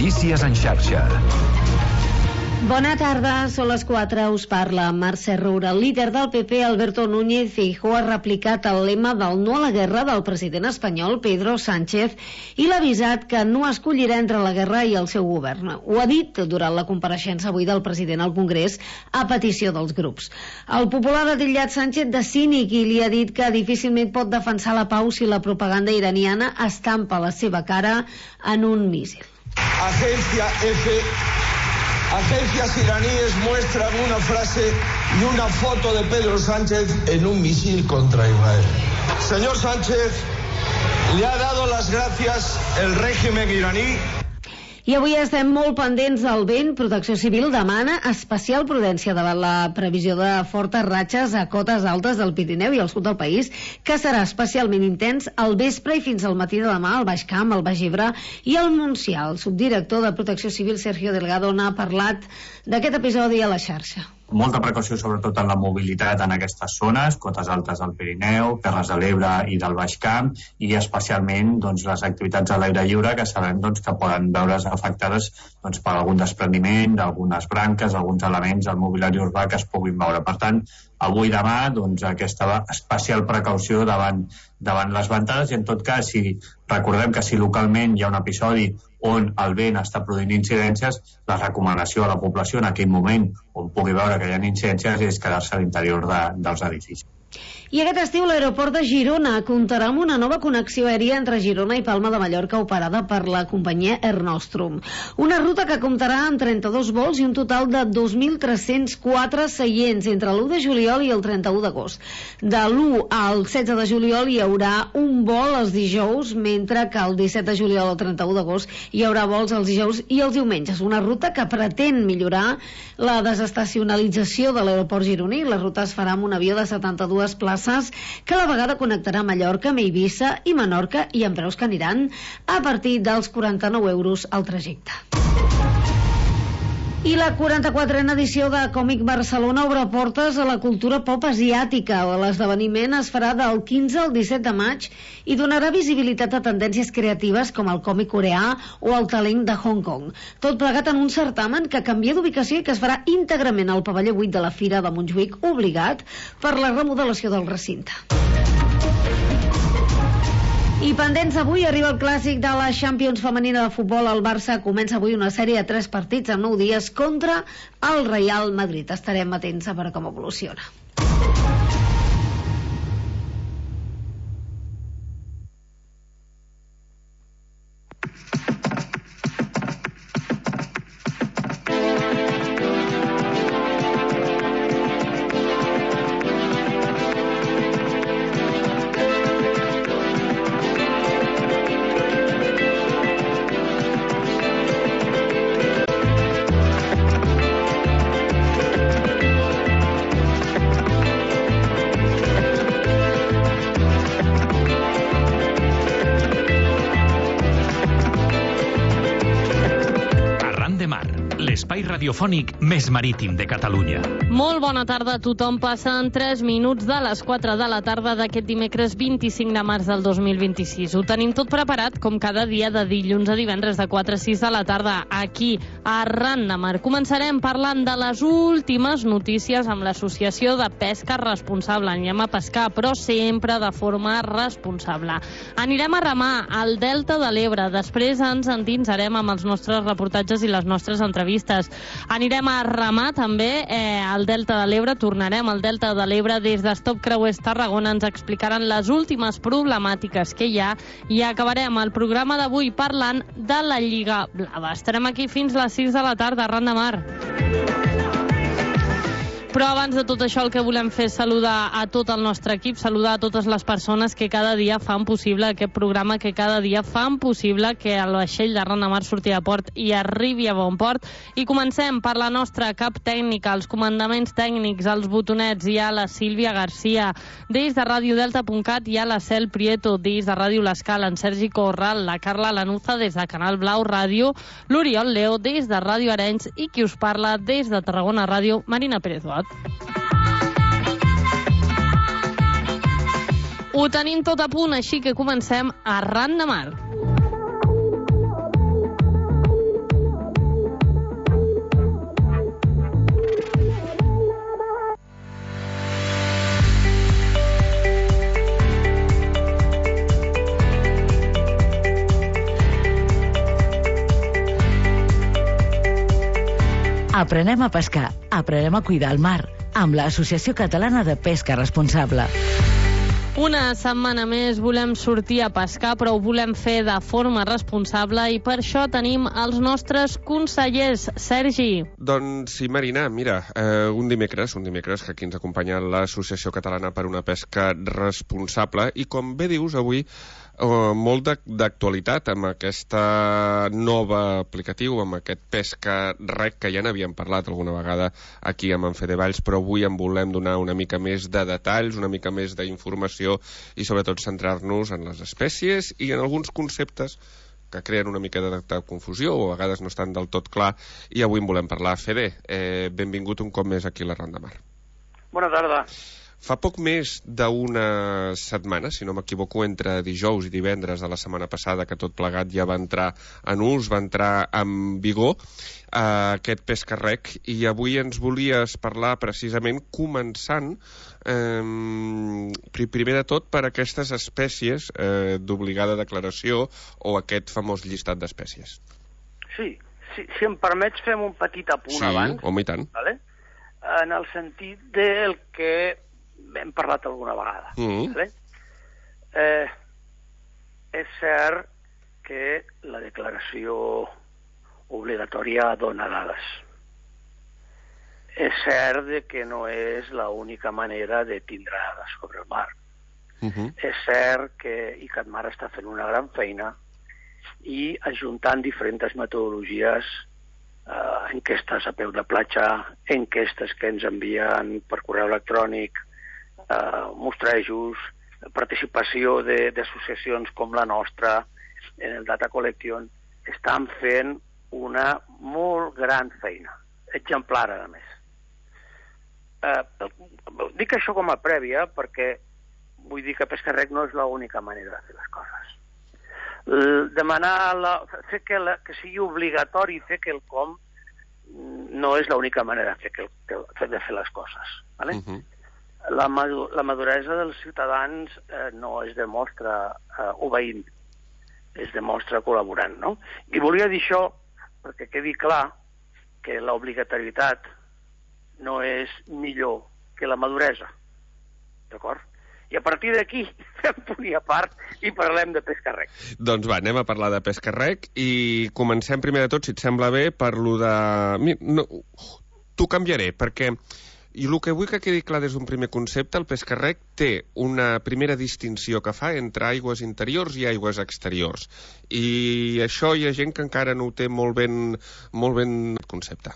Notícies en xarxa. Bona tarda, són les 4, us parla Mercè Roura. El líder del PP, Alberto Núñez Feijóo, ha replicat el lema del no a la guerra del president espanyol, Pedro Sánchez, i l'ha avisat que no escollirà entre la guerra i el seu govern. Ho ha dit durant la compareixença avui del president al Congrés a petició dels grups. El popular ha titllat Sánchez de cínic i li ha dit que difícilment pot defensar la pau si la propaganda iraniana estampa la seva cara en un míssil. Agencia F. Agencias iraníes muestran una frase y una foto de Pedro Sánchez en un misil contra Israel. Señor Sánchez, le ha dado las gracias el régimen iraní. I avui estem molt pendents del vent. Protecció Civil demana especial prudència davant la previsió de fortes ratxes a cotes altes del Pirineu i al sud del país, que serà especialment intens al vespre i fins al matí de demà al Baix Camp, al Baix Ebre i al Montsià. El subdirector de Protecció Civil, Sergio Delgado, n'ha parlat d'aquest episodi a la xarxa. Molta precaució sobretot en la mobilitat en aquestes zones, cotes altes del Pirineu, Terres de l'Ebre i del Baix Camp, i especialment les activitats a l'aire lliure, que sabem que poden veure's afectades per algun despreniment d'algunes branques, alguns elements del mobiliari urbà que es puguin veure. Per tant, avui i demà aquesta especial precaució davant les ventades, i en tot cas, si recordem que si localment hi ha un episodi on el vent està produint incidències, la recomanació a la població en aquell moment on pugui veure que hi ha incidències és quedar-se a l'interior dels edificis. I aquest estiu l'aeroport de Girona comptarà amb una nova connexió aèria entre Girona i Palma de Mallorca operada per la companyia Air Nostrum. Una ruta que comptarà amb 32 vols i un total de 2.304 seients entre l'1 de juliol i el 31 d'agost. De l'1 al 16 de juliol hi haurà un vol els dijous, mentre que el 17 de juliol al 31 d'agost hi haurà vols els dijous i els diumenges. Una ruta que pretén millorar la desestacionalització de l'aeroport gironí. La ruta es farà amb un avió de 72 places que a la vegada connectarà Mallorca amb Eivissa i Menorca, i amb preus que aniran a partir dels 49 euros al trajecte. I la 44a edició de Còmic Barcelona obre portes a la cultura pop asiàtica. L'esdeveniment es farà del 15 al 17 de maig i donarà visibilitat a tendències creatives com el còmic coreà o el talent de Hong Kong. Tot plegat en un certamen que canvia d'ubicació i que es farà íntegrament al pavelló 8 de la Fira de Montjuïc, obligat per la remodelació del recinte. I pendents, avui arriba el clàssic de la Champions femenina de futbol. El Barça comença avui una sèrie de 3 partits en 9 dies contra el Real Madrid. Estarem atents a veure com evoluciona. L'espai radiofònic més marítim de Catalunya. Molt bona tarda a tothom. Passen 3 minuts de les 4 de la tarda d'aquest dimecres 25 de març del 2026. Ho tenim tot preparat, com cada dia de dilluns a divendres de 4 a 6 de la tarda, aquí, a Arran de Mar. Començarem parlant de les últimes notícies amb l'Associació de Pesca Responsable. Anirem a pescar, però sempre de forma responsable. Anirem a remar al Delta de l'Ebre. Després ens endinsarem amb els nostres reportatges i les nostres entrevistes. Anirem a remar també al Delta de l'Ebre. Tornarem al Delta de l'Ebre des de Stop Creuers Tarragona. Ens explicaran les últimes problemàtiques que hi ha i acabarem el programa d'avui parlant de la Lliga Blava. Estarem aquí fins les 6 de la tarda, Arran de Mar. Però abans de tot això el que volem fer és saludar a tot el nostre equip, saludar a totes les persones que cada dia fan possible aquest programa, que cada dia fan possible que el vaixell d'Arran de Mar surti a port i arribi a bon port. I comencem per la nostra cap tècnica, els comandaments tècnics, els botonets. Hi ha la Sílvia Garcia, des de radiodelta.cat hi ha la Cel Prieto, des de Ràdio L'Escala, en Sergi Corral, la Carla Lanuza des de Canal Blau Ràdio, l'Oriol Leo des de Ràdio Arenys i qui us parla des de Tarragona Ràdio, Marina Pérez-Duat. Ho tenim tot a punt, així que comencem Arran de Mar. Aprenem a pescar, aprenem a cuidar el mar, amb l'Associació Catalana de Pesca Responsable. Una setmana més volem sortir a pescar, però ho volem fer de forma responsable i per això tenim els nostres consellers. Sergi. Doncs sí, Marina, mira, un dimecres que aquí ens acompanya l'Associació Catalana per una Pesca Responsable i com bé dius avui, molt d'actualitat amb aquesta nova aplicatiu, amb aquest Pesca Rec, que ja n'havíem parlat alguna vegada aquí amb en Fede Valls, però avui en volem donar una mica més de detalls, una mica més d'informació i sobretot centrar-nos en les espècies i en alguns conceptes que creen una mica de confusió o a vegades no estan del tot clar i avui en volem parlar. Fede, benvingut un cop més aquí a la Ronda Mar. Bona tarda. Fa poc més d'una setmana, si no m'equivoco, entre dijous i divendres de la setmana passada, que tot plegat ja va entrar en ús, va entrar en vigor aquest Pesca Rec, i avui ens volies parlar precisament començant primer de tot per aquestes espècies d'obligada declaració o aquest famós llistat d'espècies. Sí, si em permets fem un petit apunt abans. Sí, home, i tant. Vale? En el sentit del que hem parlat alguna vegada. Vale? És cert que la declaració obligatòria dona dades. És cert que no és l'única manera de tindre dades sobre el mar. És cert que ICATMAR està fent una gran feina i ajuntant diferents metodologies, enquestes a peu de platja, enquestes que ens envien per correu electrònic, mostrejos, participació d'associacions com la nostra en el Data Collection, estan fent una molt gran feina, exemplar a més. Dic això com a prèvia perquè vull dir que Pesca Rec no és l'única manera de fer les coses. Demanar que sigui obligatori fer quelcom no és l'única manera de fer les coses. Vale? La maduresa dels ciutadans no es demostra obeint, es demostra col·laborant, no? I volia dir això perquè quedi clar que l'obligatorietat no és millor que la maduresa, d'acord? I a partir d'aquí fem punt i a part i parlem de Pesca Rec. Doncs va, anem a parlar de Pesca Rec i comencem primer de tot, si et sembla bé, per lo de... No, t'ho canviaré, perquè i el que vull que quedi clar des d'un primer concepte, el Pesca Rec té una primera distinció que fa entre aigües interiors i aigües exteriors. I això hi ha gent que encara no ho té molt ben el concepte.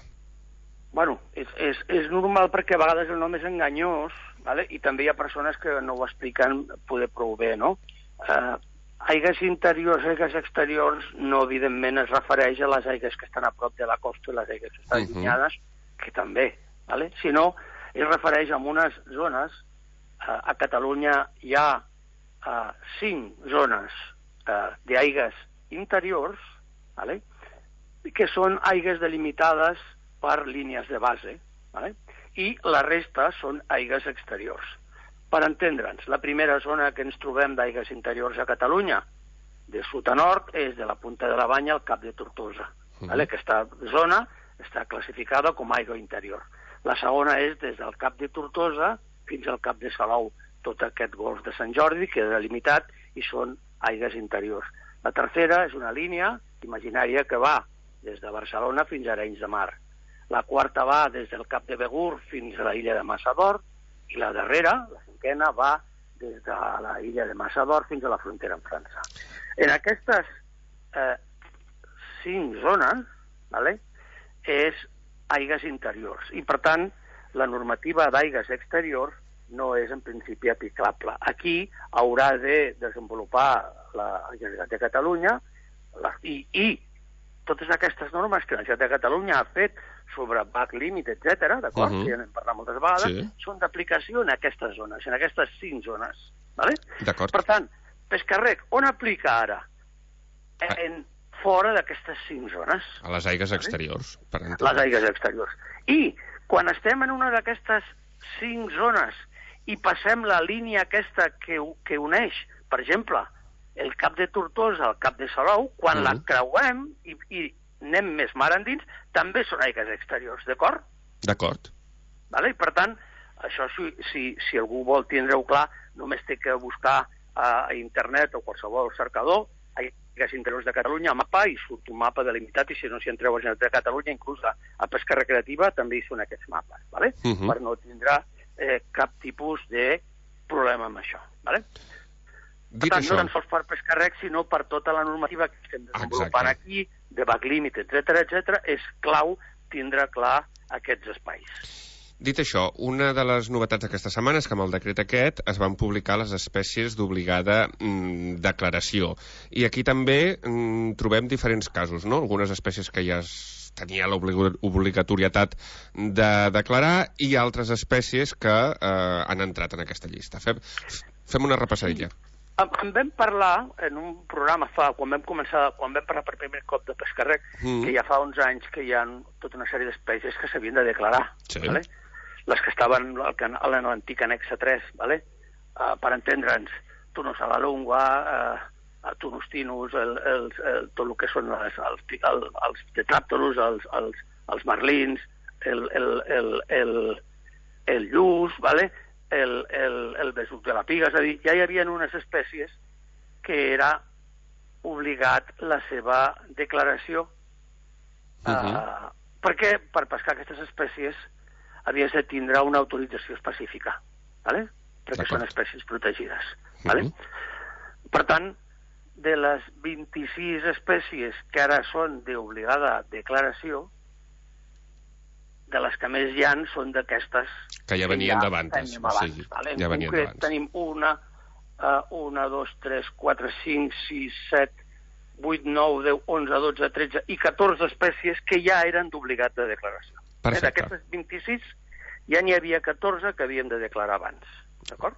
Bueno, és normal perquè a vegades el nom és enganyós, vale? I també hi ha persones que no ho expliquen poder prou bé, no? Aigues interiors, aigues exteriors, no evidentment es refereix a les aigues que estan a prop de la costa i les aigues que estan allunyades, que també, vale? Sinó es refereix a unes zones, a Catalunya hi ha 5 zones d'aigues interiors, vale? Que són aigues delimitades per línies de base, vale? I la resta són aigues exteriors. Per entendre'ns, la primera zona que ens trobem d'aigues interiors a Catalunya, de sud a nord, és de la Punta de la Banya al Cap de Tortosa. Vale? Aquesta zona està classificada com a aigua interior. La segona és des del Cap de Tortosa fins al Cap de Salou. Tot aquest golf de Sant Jordi queda delimitat i són aigues interiors. La tercera és una línia imaginària que va des de Barcelona fins a Arenys de Mar. La quarta va des del Cap de Begur fins a la illa de Massador i la darrera, la cinquena, va des de la illa de Massador fins a la frontera amb França. En aquestes 5 zones, vale, és aigues interiors i, per tant, la normativa d'aigues exteriors no és en principi aplicable. Aquí haurà de desenvolupar la Generalitat de Catalunya i totes aquestes normes que la Generalitat de Catalunya ha fet sobre back limit, etc., d'acord, que ja n'hem parlat moltes vegades, són d'aplicació en aquestes zones, en aquestes 5 zones. Vale? Per tant, Pesca Rec, on aplica ara? Fora d'aquestes 5 zones. A les aigues exteriors, per entendre. Les aigues exteriors. I quan estem en una d'aquestes 5 zones i passem la línia aquesta que uneix, per exemple, el Cap de Tortosa al Cap de Salou, quan la creuem i anem més mar endins, també són aigües exteriors, d'acord? D'acord. Vale? I per tant, això si algú vol tindre-ho clar, només té que buscar a internet o qualsevol cercador aigües interiors de Catalunya, mapa, i surt un mapa delimitat, i si no s'hi entreu a Generalitat de Catalunya, inclús a pesca recreativa, també hi són aquests mapes, vale? Per no tindrà cap tipus de problema amb això. Vale? Per tant, no tan sols per pesca rec, sinó per tota la normativa que estem desenvolupant aquí, de backlímit, etc., és clau tindre clar aquests espais. Dit això, una de les novetats d'aquesta setmana és que amb el decret aquest es van publicar les espècies d'obligada declaració. I aquí també trobem diferents casos, no? Algunes espècies que ja tenia l'obligatorietat de declarar i altres espècies que han entrat en aquesta llista. Fem una repassadilla. En vam parlar en un programa quan vam parlar per primer cop de pesca rec, que ja fa 11 anys que hi ha tota una sèrie d'espècies que s'havien de declarar. Sí. Vale? Les que estaven a l'antic annex 3, vale? Per entendre'ns, Tunus a la lungua, Tunus tinus, tot el que són els tetràpteros, els marlins, el lluç, vale? El besuc de la piga, és a dir, ja hi havia unes espècies que era obligat la seva declaració, perquè per pescar aquestes espècies havies de tindre una autorització específica, ¿vale? Perquè són espècies protegides. ¿Vale? Per tant, de les 26 espècies que ara són d'obligada declaració, de les que més hi ha són d'aquestes que ja venien d'abans. ¿Vale? En concret tenim 1, 2, 3, 4, 5, 6, 7, 8, 9, 10, 11, 12, 13 i 14 espècies que ja eren d'obligat de declaració. D'aquestes 26 ja n'hi havia 14 que havíem de declarar abans. D'acord?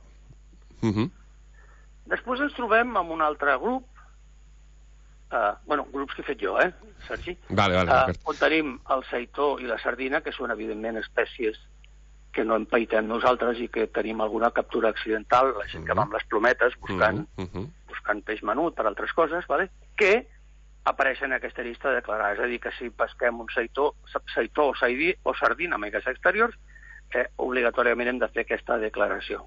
Després ens trobem amb un altre grup, grups que he fet jo, Sergi? On tenim el seitó i la sardina, que són evidentment espècies que no empaitem nosaltres i que tenim alguna captura accidental, la gent que va amb les plometes buscant peix menut per altres coses, que apareixen en aquesta llista de declarar. És a dir, que si pesquem un seitó o sardina amb aigües exteriors, obligatòriament hem de fer aquesta declaració.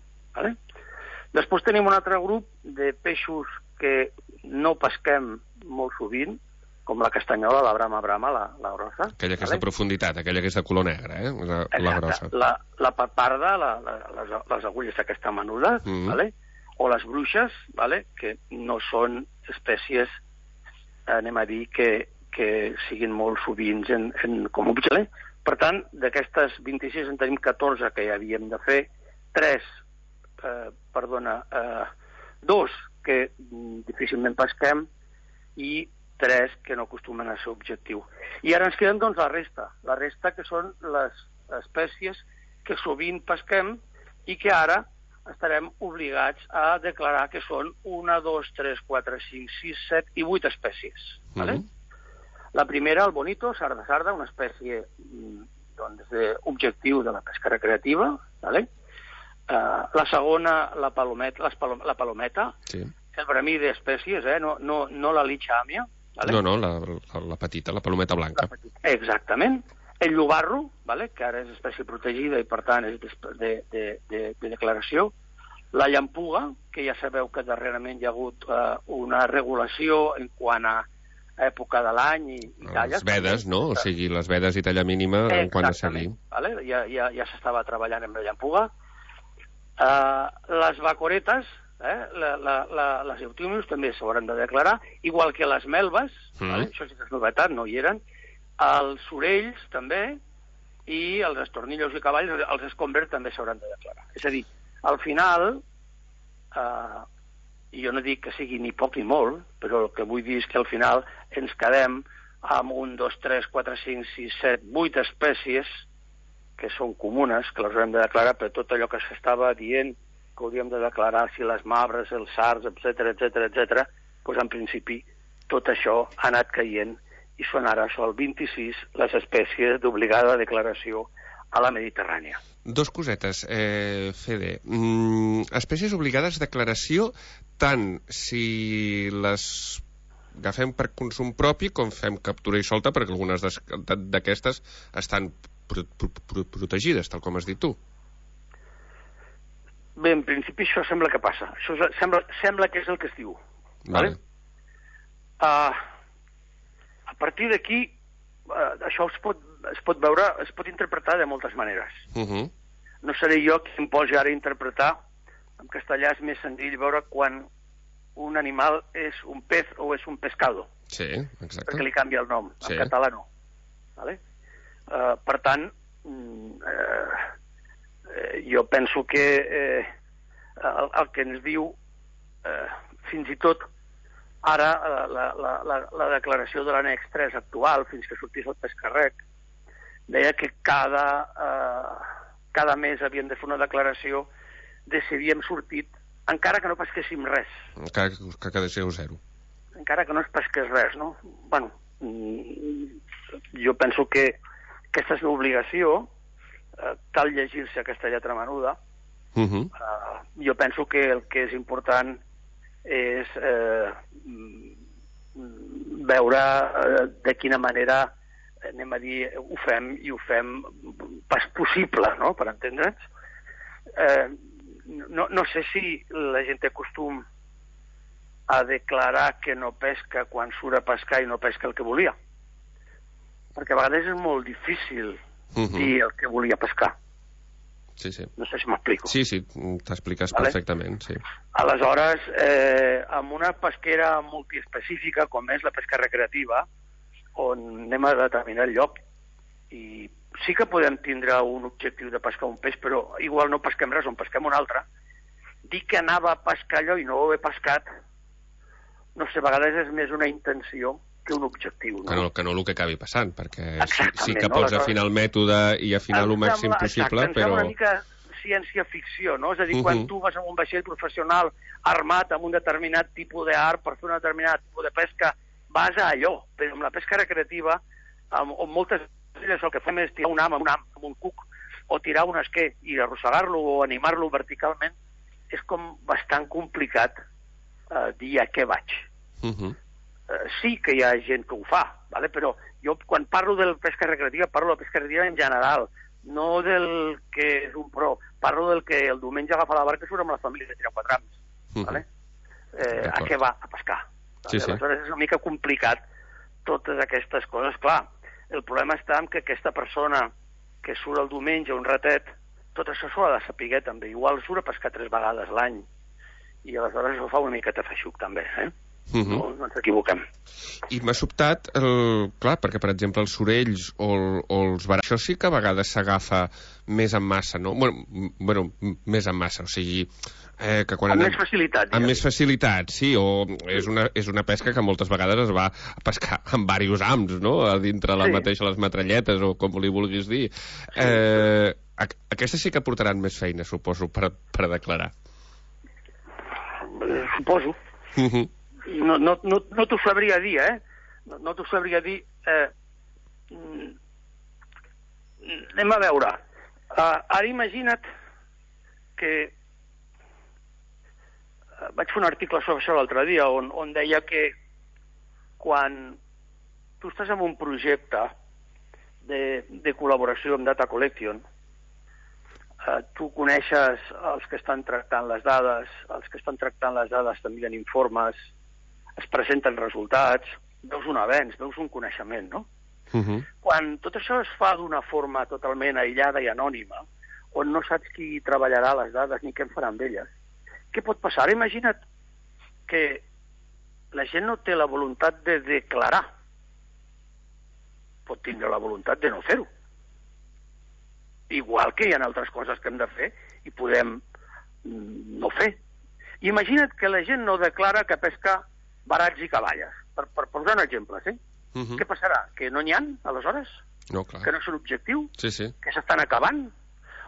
Després tenim un altre grup de peixos que no pesquem molt sovint, com la castanyola, la brama, la grossa. Aquella que és de profunditat, aquella que és de color negre, la grossa. La paparda, les agulles d'aquesta menuda, o les bruixes, que no són espècies, anem a dir, que siguin molt sovint com objecte. Per tant, d'aquestes 26 en tenim 14 que ja havíem de fer, 2 que difícilment pesquem i 3 que no acostumen a ser objectiu. I ara ens queden, doncs, la resta que són les espècies que sovint pesquem i que ara estarem obligats a declarar que són 1, 2, 3, 4, 5, 6, 7 i 8 espècies. La primera, el bonito, sarda, una espècie d'objectiu de la pesca recreativa. La segona, la palometa, el bramí d'espècies, no la litxàmia. No, la petita, la palometa blanca. Exactament. El llobarro, que ara és espècie protegida i per tant és de declaració. La llampuga, que ja sabeu que darrerament hi ha hagut una regulació en quant a època de l'any i talles. Les vedes, no? O sigui, les vedes i talla mínima en quant a seguir. Ja s'estava treballant amb la llampuga. Les vacoretes, les eutimus també s'hauran de declarar, igual que les melves, això sí que és novetat, no hi eren, els orells també, i els estornillos i cavalls, els escombres també s'hauran de declarar. És a dir, al final, i jo no dic que sigui ni poc ni molt, però el que vull dir és que al final ens quedem amb 1, 2, 3, 4, 5, 6, 7, 8 espècies que són comunes, que les haurem de declarar, per tot allò que s'estava dient que hauríem de declarar, si les mabres, els sards, etc., doncs en principi tot això ha anat caient i són ara sol 26 les espècies d'obligada declaració a la Mediterrània. 2 cosetes, Fede. Espècies obligades de declaració tant si les agafem per consum propi com fem captura i solta, perquè algunes d'aquestes estan protegides, tal com has dit tu. Bé, en principi això sembla que passa. Això sembla que és el que es diu. Vale. A partir d'aquí, això es pot veure, es pot interpretar de moltes maneres. No seré jo qui em posi ara a interpretar. En castellà és més senzill veure quan un animal és un pez o és un pescado. Sí, exacte. Perquè li canvia el nom. En català no. Vale? Per tant, jo penso que el que ens diu, fins i tot ara la declaració de l'annex 3 actual, fins que sortís el pescarrec, deia que cada mes havien de fer una declaració de si havíem sortit, encara que no pesquéssim res. Encara que quedéssiu zero. Encara que no es pesqués res, no? Bueno, jo penso que aquesta és l'obligació, cal llegir-se aquesta lletra menuda. Jo penso que el que és important és veure de quina manera, anem a dir, ho fem, i ho fem pas possible, no?, per entendre'ns. No sé si la gent té costum a declarar que no pesca quan surt a pescar i no pesca el que volia. Perquè a vegades és molt difícil dir el que volia pescar. Sí, sí. No sé si m'explico. Sí, sí, t'expliques perfectament, sí. Aleshores, amb una pesquera multiespecífica, com és la pesca recreativa, on anem a determinar el lloc, i sí que podem tindre un objectiu de pescar un peix, però igual no pesquem res, on pesquem un altre. Dir que anava a pescar allò i no ho he pescat, no sé, a vegades és més una intenció que un objectiu. No? Que no el que acabi passant, perquè sí que pots afinar el mètode i afinar el màxim possible, però... Em sembla una mica ciència-ficció, no? És a dir, quan tu vas amb un vaixell professional armat amb un determinat tipus d'art per fer un determinat tipus de pesca, vas a allò. Però amb la pesca recreativa, on moltes vegades el que fem és tirar un ham amb un cuc, o tirar un esquer i arrossegar-lo o animar-lo verticalment, és com bastant complicat dir a què vaig. Sí que hi ha gent que ho fa, ¿vale? Però jo quan parlo de pesca recreativa parlo de pesca recreativa en general, no del que és un pro, parlo del que el diumenge agafa la barca i surt amb la família de tirar 4 hams, ¿vale? A què va? A pescar. Sí, sí. Aleshores és una mica complicat totes aquestes coses. Clar, el problema està en que aquesta persona que surt el diumenge un ratet, tot això s'ho ha de saber també. Igual surt a pescar 3 vegades l'any i aleshores ho fa una miqueta feixuc també, No ens equivoquem. I m'ha sobtat, clar, perquè per exemple els sorells o els barats, això sí que a vegades s'agafa més en massa, no? Bueno, més en massa, o sigui... que quan amb més facilitat. Amb més facilitat, sí, o és una pesca que moltes vegades es va a pescar amb diversos hams, no?, a dintre les metralletes, o com li vulguis dir. Aquestes sí que portaran més feina, suposo, per declarar. Suposo. No t'ho sabria dir, No t'ho sabria dir. Anem a veure. Ara imagina't que vaig fer un article sobre això l'altre dia on deia que quan tu estàs en un projecte de col·laboració amb Data Collection, tu coneixes els que estan tractant les dades, t'envien informes, es presenten resultats, veus un avenç, veus un coneixement, no? Quan tot això es fa d'una forma totalment aïllada i anònima, on no saps qui treballarà les dades ni què en farà amb elles, què pot passar? Ara imagina't que la gent no té la voluntat de declarar, pot tindre la voluntat de no fer-ho. Igual que hi ha altres coses que hem de fer i podem no fer. Imagina't que la gent no declara que pesca barats i cavalles, per posar un exemple, sí? Què passarà? Que no n'hi ha, aleshores? No, clar. Que no és un objectiu? Sí, sí. Que s'estan acabant?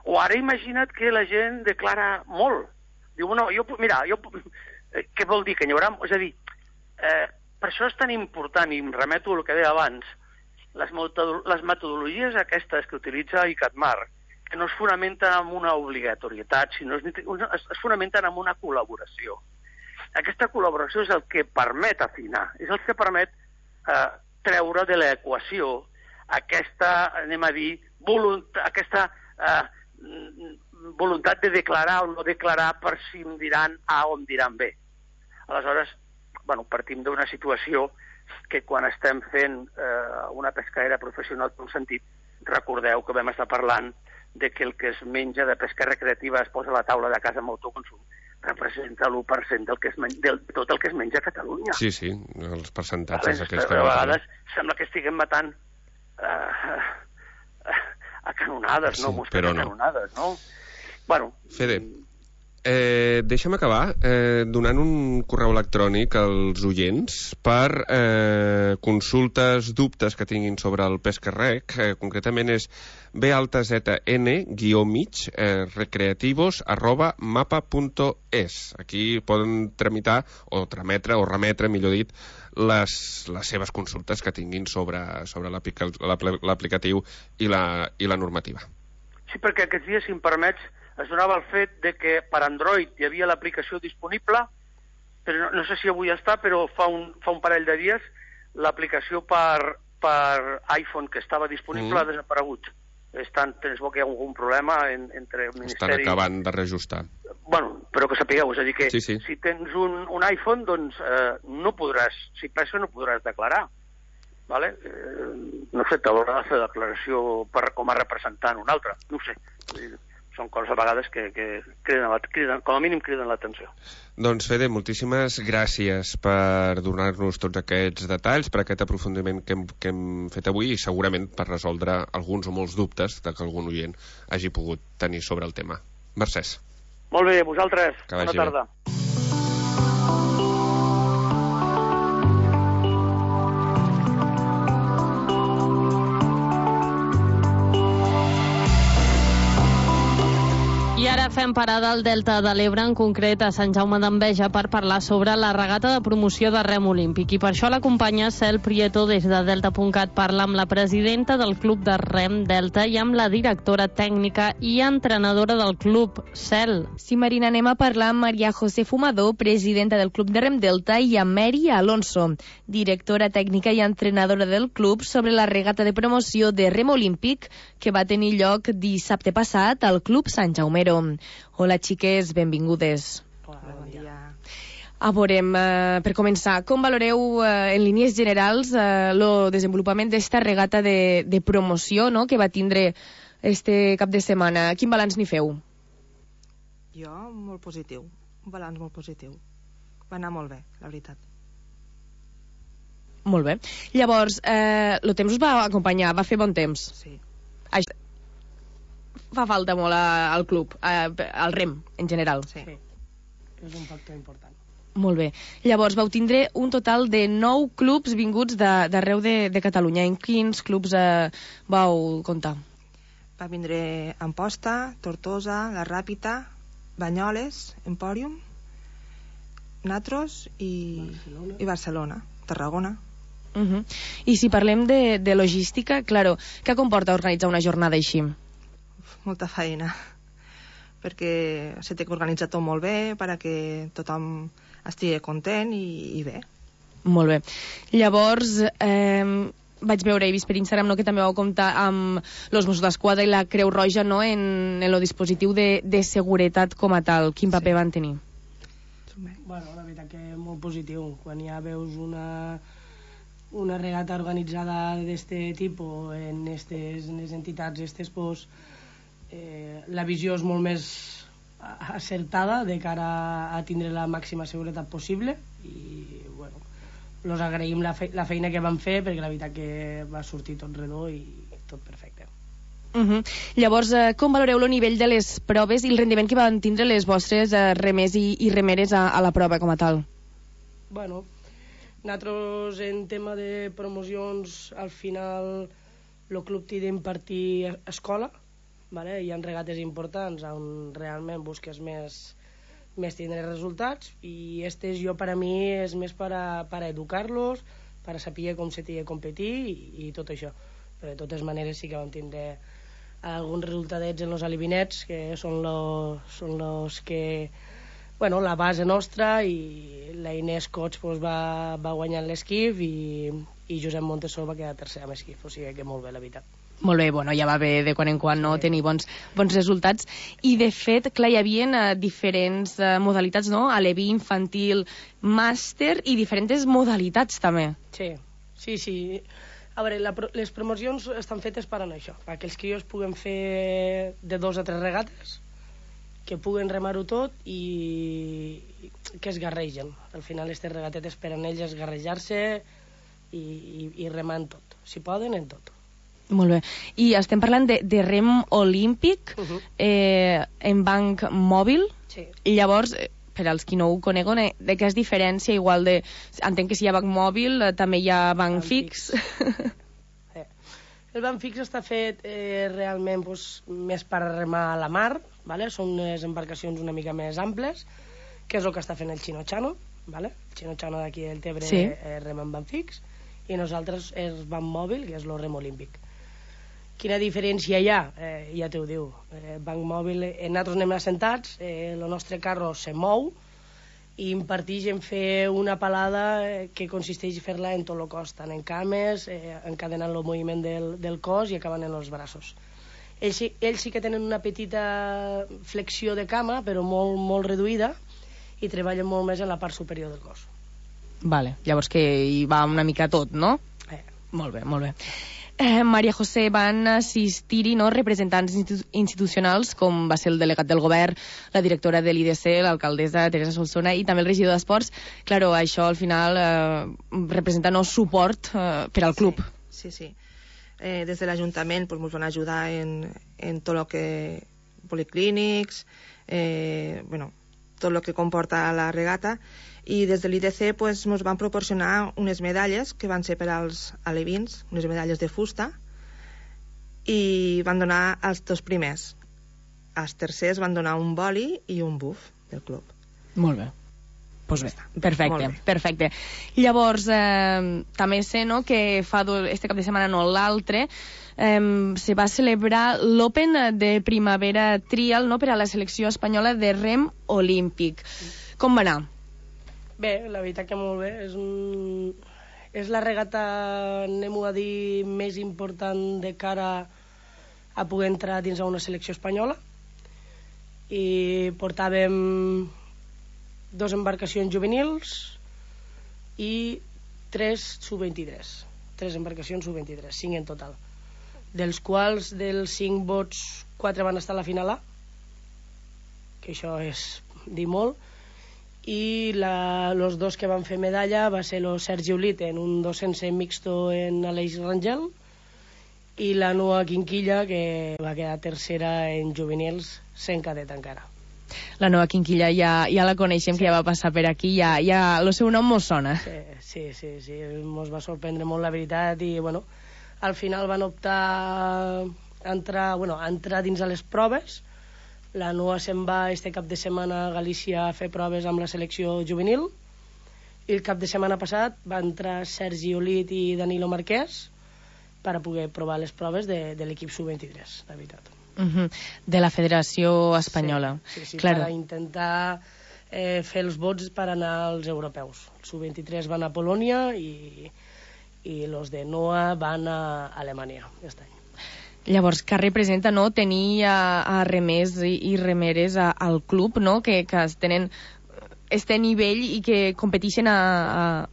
O ara imagina't que la gent declara molt. Diu, no, què vol dir? Que n'hi haurà... És a dir, per això és tan important, i em remeto al que deia abans, les metodologies aquestes que utilitza ICATMAR, que no es fonamenten en una obligatorietat, sinó es fonamenten en una col·laboració. aquesta col·laboració és el que permet afinar, és el que permet treure de l'equació aquesta, anem a dir, aquesta voluntat de declarar o no declarar per si em diran A o em diran B. Aleshores, partim d'una situació que quan estem fent una pescaera professional en un sentit, recordeu que vam estar parlant de que el que es menja de pesca recreativa es posa a la taula de casa amb autoconsum, representa l'1% de tot el que es menja a Catalunya. Sí, els percentatges aquests que... A vegades sembla que estiguem matant a canonades, no? Però no. Canonades, no? Fede, deixa'm acabar donant un correu electrònic als oients per consultes, dubtes que tinguin sobre el Pescarrec. Concretament és bn-recreativos@mapa.es. Aquí poden tramitar o remetre, millor dit, les seves consultes que tinguin sobre l'aplicatiu i la normativa. Sí, perquè aquests dies, si em permets, es donava el fet de que per Android hi havia l'aplicació disponible, però no sé si avui està, però fa un parell de dies l'aplicació per iPhone que estava disponible ha desaparegut. Es bo que hi ha algun problema entre el Ministeri... Estan acabant de reajustar. Però que sapigueu, és a dir que sí. si tens un iPhone, doncs no podràs, si pesca no podràs declarar. Vale? No sé, t'haurà de fer declaració com a representant un altre, no ho sé. Són coses a vegades que criden, com a mínim criden l'atenció. Doncs, Fede, moltíssimes gràcies per donar-nos tots aquests detalls, per aquest aprofundiment que hem fet avui i segurament per resoldre alguns o molts dubtes que algun oient hagi pogut tenir sobre el tema. Mercès. Molt bé, vosaltres. Bona tarda. I ara fem parada al Delta de l'Ebre, en concret a Sant Jaume d'Enveja, per parlar sobre la regata de promoció de rem olímpic. I per això l'acompanya Cel Prieto des de Delta.cat. Parla amb la presidenta del Club de Rem Delta i amb la directora tècnica i entrenadora del club, Cel. Sí, Marina, anem a parlar amb Maria José Fumador, presidenta del Club de Rem Delta, i amb Mary Alonso, directora tècnica i entrenadora del club, sobre la regata de promoció de rem olímpic que va tenir lloc dissabte passat al Club Sant Jaumero. Hola, xiques, benvingudes. Hola, bon dia. Veurem, per començar, com valoreu en línies generals el desenvolupament d'esta regata de promoció, no?, que va tindre este cap de setmana? Quin balanç n'hi feu? Jo, molt positiu. Un balanç molt positiu. Va anar molt bé, la veritat. Molt bé. Llavors, el temps us va acompanyar, va fer bon temps? Sí. Fa falta molt al club, al rem, en general. Sí. És un factor important. Molt bé. Llavors, vau tindre un total de 9 clubs vinguts d'arreu de Catalunya. En quins clubs vau comptar? Va vindre Amposta, Tortosa, La Ràpita, Banyoles, Empòrium, Natros i Barcelona, Tarragona. I si parlem de logística, claro, què comporta organitzar una jornada així? Molta feina, perquè se té que organitzar tot molt bé perquè tothom estigui content i bé. Molt bé. Llavors, vaig veure, he vist per Instagram, no, que també vau comptar amb els Mossos d'Esquadra i la Creu Roja, no, en el dispositiu de seguretat com a tal. Quin paper van tenir? Bueno, la veritat que molt positiu. Quan ja veus una regata organitzada d'este tipus en les entitats estes, pues, la visió és molt més acertada de cara a tindre la màxima seguretat possible i, bueno, els agraïm la feina que van fer perquè la veritat que va sortir tot redó i tot perfecte. Llavors, com valoreu el nivell de les proves i el rendiment que van tindre les vostres remers i remeres a la prova com a tal? Bueno, nosaltres en tema de promocions al final el club té d'impartir escola, vale? Hi ha regates importants on realment busques més tindre resultats i jo per a mi és més per a educar-los, per a saber com se té de competir i tot això. Però de totes maneres sí que vam tindre alguns resultadets en els alivinets que són los que bueno, la base nostra, i la Inés Cots va guanyar l'esquif i Josep Montesor va quedar tercer amb esquif, o sigui que molt bé, la veritat. Molt bé, bueno, ja va bé de quan en quan no tenir bons resultats. I de fet, clar, hi havia diferents modalitats, no? Aleví, infantil, màster i diferents modalitats també. Sí. A veure, les promocions estan fetes per anar això, perquè els crios puguen fer de 2 a 3 regates, que puguen remar-ho tot i que es garregen. Al final aquestes regatetes per a ells esgarrejar-se i remar en tot, si poden en tot. Molt bé. I estem parlant de rem olímpic en banc mòbil. Sí. I llavors, per als qui no ho coneguen, de què és diferència? Igual de... Entenc que si hi ha banc mòbil, també hi ha banc fix. El banc fix està fet realment més per remar a la mar, vale? Són unes embarcacions una mica més amples, que és el que està fent el Chino-Chano, vale? El Chino-Chano d'aquí del Tebre rema en banc fix, i nosaltres és banc mòbil, que és el rem olímpic. Quina diferència hi ha? Ja t'ho diu. Banc mòbil, nosaltres anem assentats, el nostre carro se mou i imparteix en fer una palada que consisteix en fer-la en tot el cos, tant en cames, encadenant el moviment del cos i acabant en els braços. Ells sí que tenen una petita flexió de cama, però molt, molt reduïda, i treballen molt més en la part superior del cos. Vale, llavors que hi va una mica tot, no? Molt bé, molt bé. Maria José, van assistir-hi representants institucionals com va ser el delegat del govern, la directora de l'IDC, l'alcaldessa Teresa Solsona i també el regidor d'Esports. Claro, això al final representa suport per al club. Sí. Des de l'Ajuntament ens van ajudar en tot el que policlínics, tot el que comporta la regata, i des de l'IDC ens van proporcionar unes medalles que van ser per als alevins, unes medalles de fusta, i van donar als 2 primers. Als tercers van donar un boli i un buf del club. Molt bé. Pues bé, perfecte. Llavors, també sé que fa este cap de setmana, no l'altre, se va celebrar l'Open de Primavera Trial per a la selecció espanyola de rem olímpic. Com va anar? Bé, la veritat que molt bé. És la regata, anem-ho a dir, més important de cara a poder entrar dins a una selecció espanyola. I portàvem 2 embarcacions juvenils i 3 sub-23. 3 embarcacions sub-23, 5 en total. Dels quals, dels 5 vots, 4 van estar a la final A, que això és dir molt, i los 2 que van fer medalla va ser el Sergi Olit en un 200 mixto en Aleix Rangel i la Noa Quinquilla, que va quedar tercera en juvenils, sent cadet encara. La Noa Quinquilla ja la coneixem, que ja va passar per aquí, ja el seu nom mos sona. Sí, mos va sorprendre molt, la veritat, i al final van optar a entrar dins a les proves. La Noa se'n va este cap de setmana a Galícia a fer proves amb la selecció juvenil, i el cap de setmana passat va entrar Sergi Olit i Danilo Marquès per a poder provar les proves de l'equip sub-23, la veritat. De la Federació Espanyola. Sí, claro. Per a intentar fer els vots per anar als europeus. Els sub-23 van a Polònia i els de Noa van a Alemanya aquest any. Llavors, què representa tenir a remers i remeres al club, que tenen este nivell i que competeixen a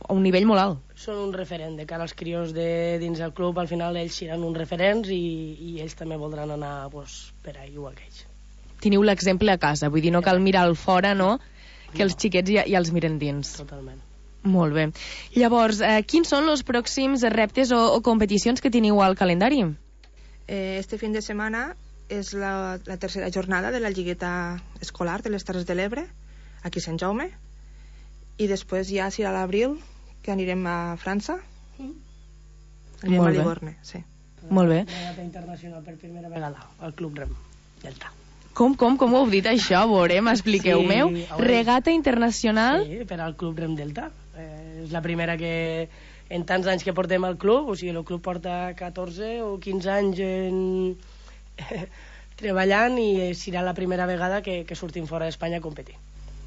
un nivell molt alt? Són un referent de cara als crios dins del club. Al final ells seran uns referents i ells també voldran anar per ahí, igual que ells. Teniu l'exemple a casa, vull dir, no cal mirar al fora, que els xiquets ja els miren dins. Totalment. Molt bé. Llavors, quins són els pròxims reptes o competicions que teniu al calendari? Este fin de setmana és la tercera jornada de la lligueta escolar de les Terres de l'Ebre, aquí a Sant Jaume, i després ja serà a l'abril, que anirem a França. Anirem a Livorne, sí. Molt bé. Regata internacional per primera vegada al Club Rem Delta. Com ho heu dit això? Veurem, expliqueu-meu. Regata internacional? Sí, per al Club Rem Delta. És la primera que en tants anys que portem al club, o sigui, el club porta 14 o 15 anys treballant, i serà la primera vegada que sortim fora d'Espanya a competir.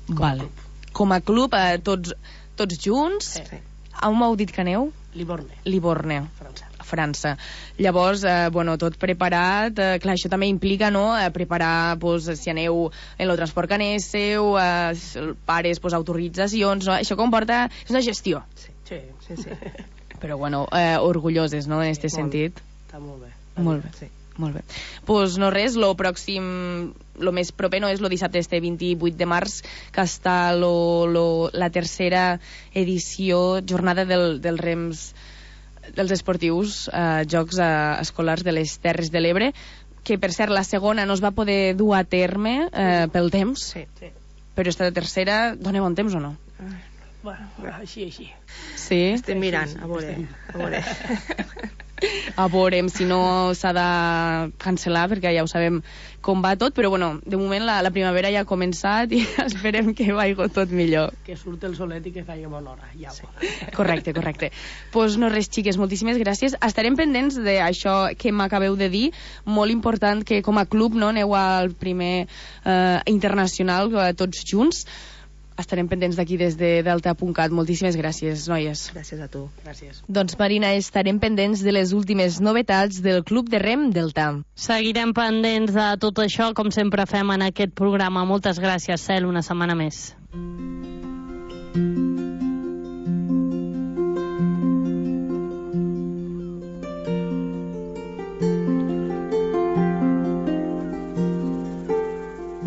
Vale. Com a club, tots junts. Sí. On m'heu dit que aneu? Livorne. França. Llavors, tot preparat. Clar, això també implica, no?, preparar, si aneu en el transport que anéssiu, pares, autoritzacions, no? Això comporta... És una gestió. Sí. Però, orgulloses, no?, en aquest sentit. Està molt bé. Molt bé, sí. Molt bé. Pues no res, lo més proper no és el dissabte 28 de març, que està la tercera edició, jornada dels rems dels esportius, Jocs Escolars de les Terres de l'Ebre, que per cert la segona no es va poder dur a terme pel temps, però esta tercera, doneu un temps o no? Bueno, així. Sí? Estem mirant, a veure. A veurem si no s'ha de cancel·lar, perquè ja ho sabem com va tot, però de moment la primavera ja ha començat i esperem que vagi tot millor. Que surt el solet i que faci bona hora, ja. Sí. Correcte. Pues no res, xiques, moltíssimes gràcies. Estarem pendents d'això que m'acabeu de dir, molt important que com a club aneu al primer internacional tots junts. Estarem pendents d'aquí des de Delta.cat. Moltíssimes gràcies, noies. Gràcies a tu. Gràcies. Doncs, Marina, estarem pendents de les últimes novetats del Club de Rem Delta. Seguirem pendents de tot això, com sempre fem en aquest programa. Moltes gràcies, Cel, una setmana més.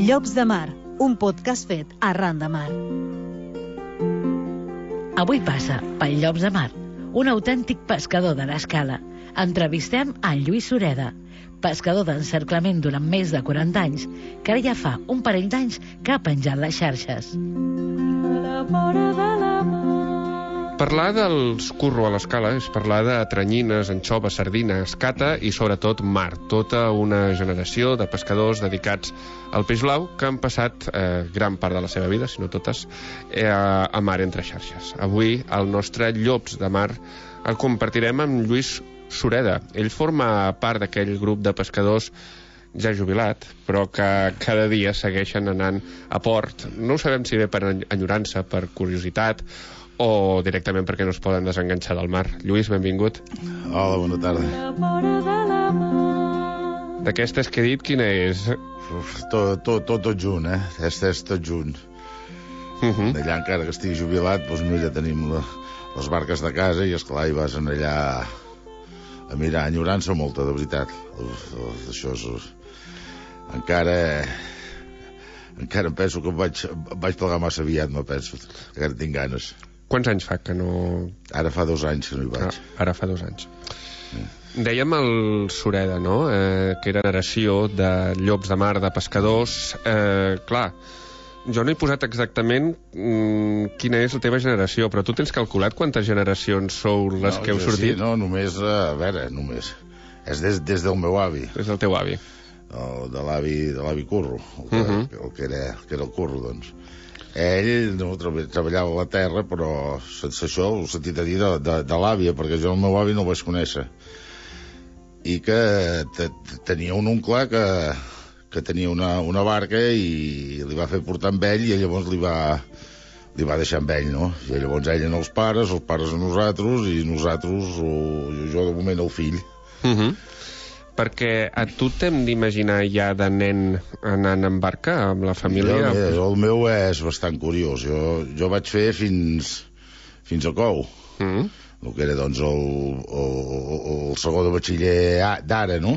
Llocs de Mar, un podcast fet arran de mar. Avui passa pel Llocs de Mar, un autèntic pescador de l'Escala. Entrevistem a Lluís Sureda, pescador d'encerclament durant més de 40 anys, que ara ja fa un parell d'anys que ha penjat les xarxes. Parlar dels curro a l'Escala és parlar de tranyines, anxoves, sardines, cata i sobretot mar. Tota una generació de pescadors dedicats al peix blau que han passat gran part de la seva vida, si no totes, a mar entre xarxes. Avui el nostre Llops de Mar el compartirem amb Lluís Sureda. Ell forma part d'aquell grup de pescadors ja jubilat, però que cada dia segueixen anant a port. No ho sabem si bé per enyorança, per curiositat, o directament perquè no es poden desenganxar del mar. Lluís, benvingut. Hola, bona tarda. D'aquestes que he dit, quina és? Tot junt, És tot junt. Allà, encara que estigui jubilat, doncs mira, tenim les barques de casa i, esclar, hi vas allà a mirar. Enyorança molta, de veritat. Això és... Encara em penso que vaig plegar massa aviat, me penso. Encara tinc ganes. Quants anys fa que no... Ara fa 2 anys que no hi vaig. Ara fa 2 anys. Dèiem el Sureda, no?, que era generació de llops de mar, de pescadors. Clar, jo no he posat exactament quina és la teva generació, però tu tens calculat quantes generacions sou les que heu sortit? Sí, no, només, a veure, només. És des del meu avi. Des del teu avi. De l'avi Curro, el que era el Curro, doncs. Ell no treballava a la terra, però això ho he sentit a dir de l'àvia, perquè jo el meu avi no el vaig conèixer. I que tenia un oncle que tenia una barca i li va fer portar amb ell i llavors li va deixar amb ell, no? I llavors ell en els pares a nosaltres i nosaltres, jo de moment el fill. Perquè a tu t'hem d'imaginar ja de nen anant en barca amb la família? El meu és bastant curiós. Jo vaig fer fins a Cou, el que era doncs el segon de batxiller d'ara, no?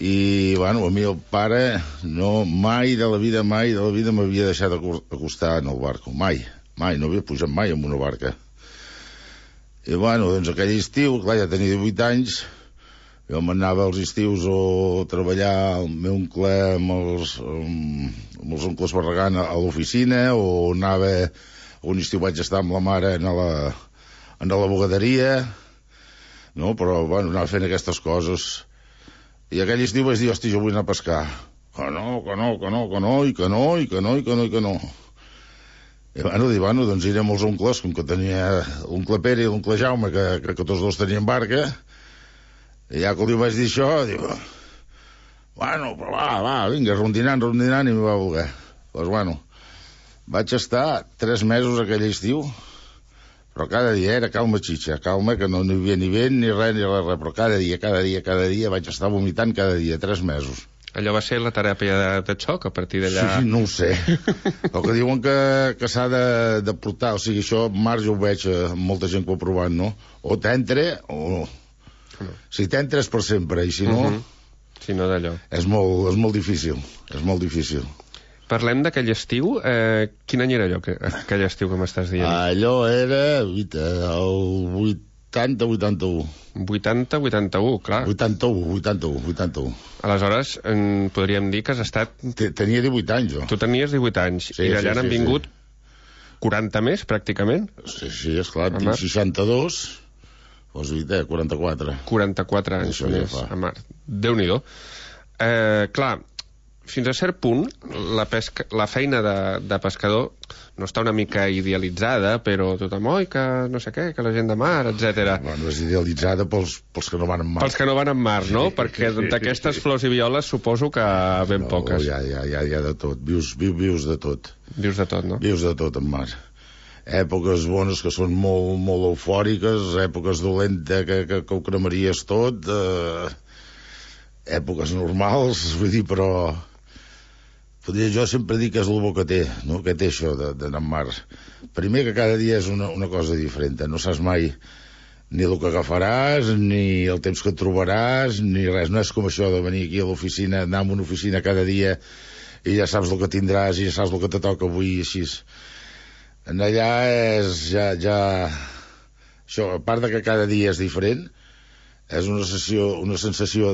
I, bueno, a mi el pare mai de la vida m'havia deixat acostar en el barco. Mai, no havia pujat mai en una barca. I, bueno, doncs aquell estiu, clar, ja tenia 18 anys, jo m'anava als estius a treballar el meu oncle amb els oncles Barragán a l'oficina, o anava, un estiu vaig estar amb la mare en la bugaderia, no? Però, bueno, anava fent aquestes coses. I aquell estiu vaig dir, hosti, jo vull anar a pescar. Que no. I, bueno, doncs irem als oncles, com que tenia l'oncle Pere i l'oncle Jaume, que tots dos tenien barca. I ja que li vaig dir això, diu, bueno, però va, vinga, rondinant, i m'hi va voler. Doncs, bueno, Vaig estar 3 mesos aquell estiu, però cada dia era calma xitxa, calma, que no hi havia ni vent, ni res, però cada dia vaig estar vomitant cada dia, 3 mesos. Allò va ser la teràpia de xoc, a partir d'allà... Sí, no ho sé. El que diuen que s'ha de portar, o sigui, això en març jo ho veig, molta gent que ho ha provat, no? O t'entra o no. Si t'entra és per sempre, i si no... Si no, d'allò. És molt difícil, és molt difícil. Parlem d'aquell estiu. Quin any era allò, aquell estiu que m'estàs dient? Allò era el 80-81. 80-81, clar. 81. Aleshores, podríem dir que has estat... Tenia 18 anys, jo. Tu tenies 18 anys, i d'allà n'han vingut 40 més, pràcticament? Sí, esclar, tinc 62, doncs 44. 44 anys més, a mar. Déu-n'hi-do. Clar, fins a cert punt, la feina de pescador no està una mica idealitzada, però tothom, que no sé què, que la gent de mar, etc. Bueno, és idealitzada pels que no van en mar. Pels que no van en mar, no? Perquè d'aquestes flors i violes suposo que ben poques. Hi ha de tot. Vius de tot. Vius de tot, no? Vius de tot en mar. Èpoques bones que són molt, molt eufòriques, èpoques dolentes que ho cremaries tot, èpoques normals, vull dir, però... Jo sempre dic que és el bo que té, no? Que té això d'anar en mar. Primer, que cada dia és una cosa diferent. No saps mai ni el que agafaràs, ni el temps que et trobaràs, ni res. No és com això de venir aquí a l'oficina, anar a una oficina cada dia i ja saps el que tindràs i ja saps el que te toca avui i així. En allà és ja... Això, a part de que cada dia és diferent, és una sensació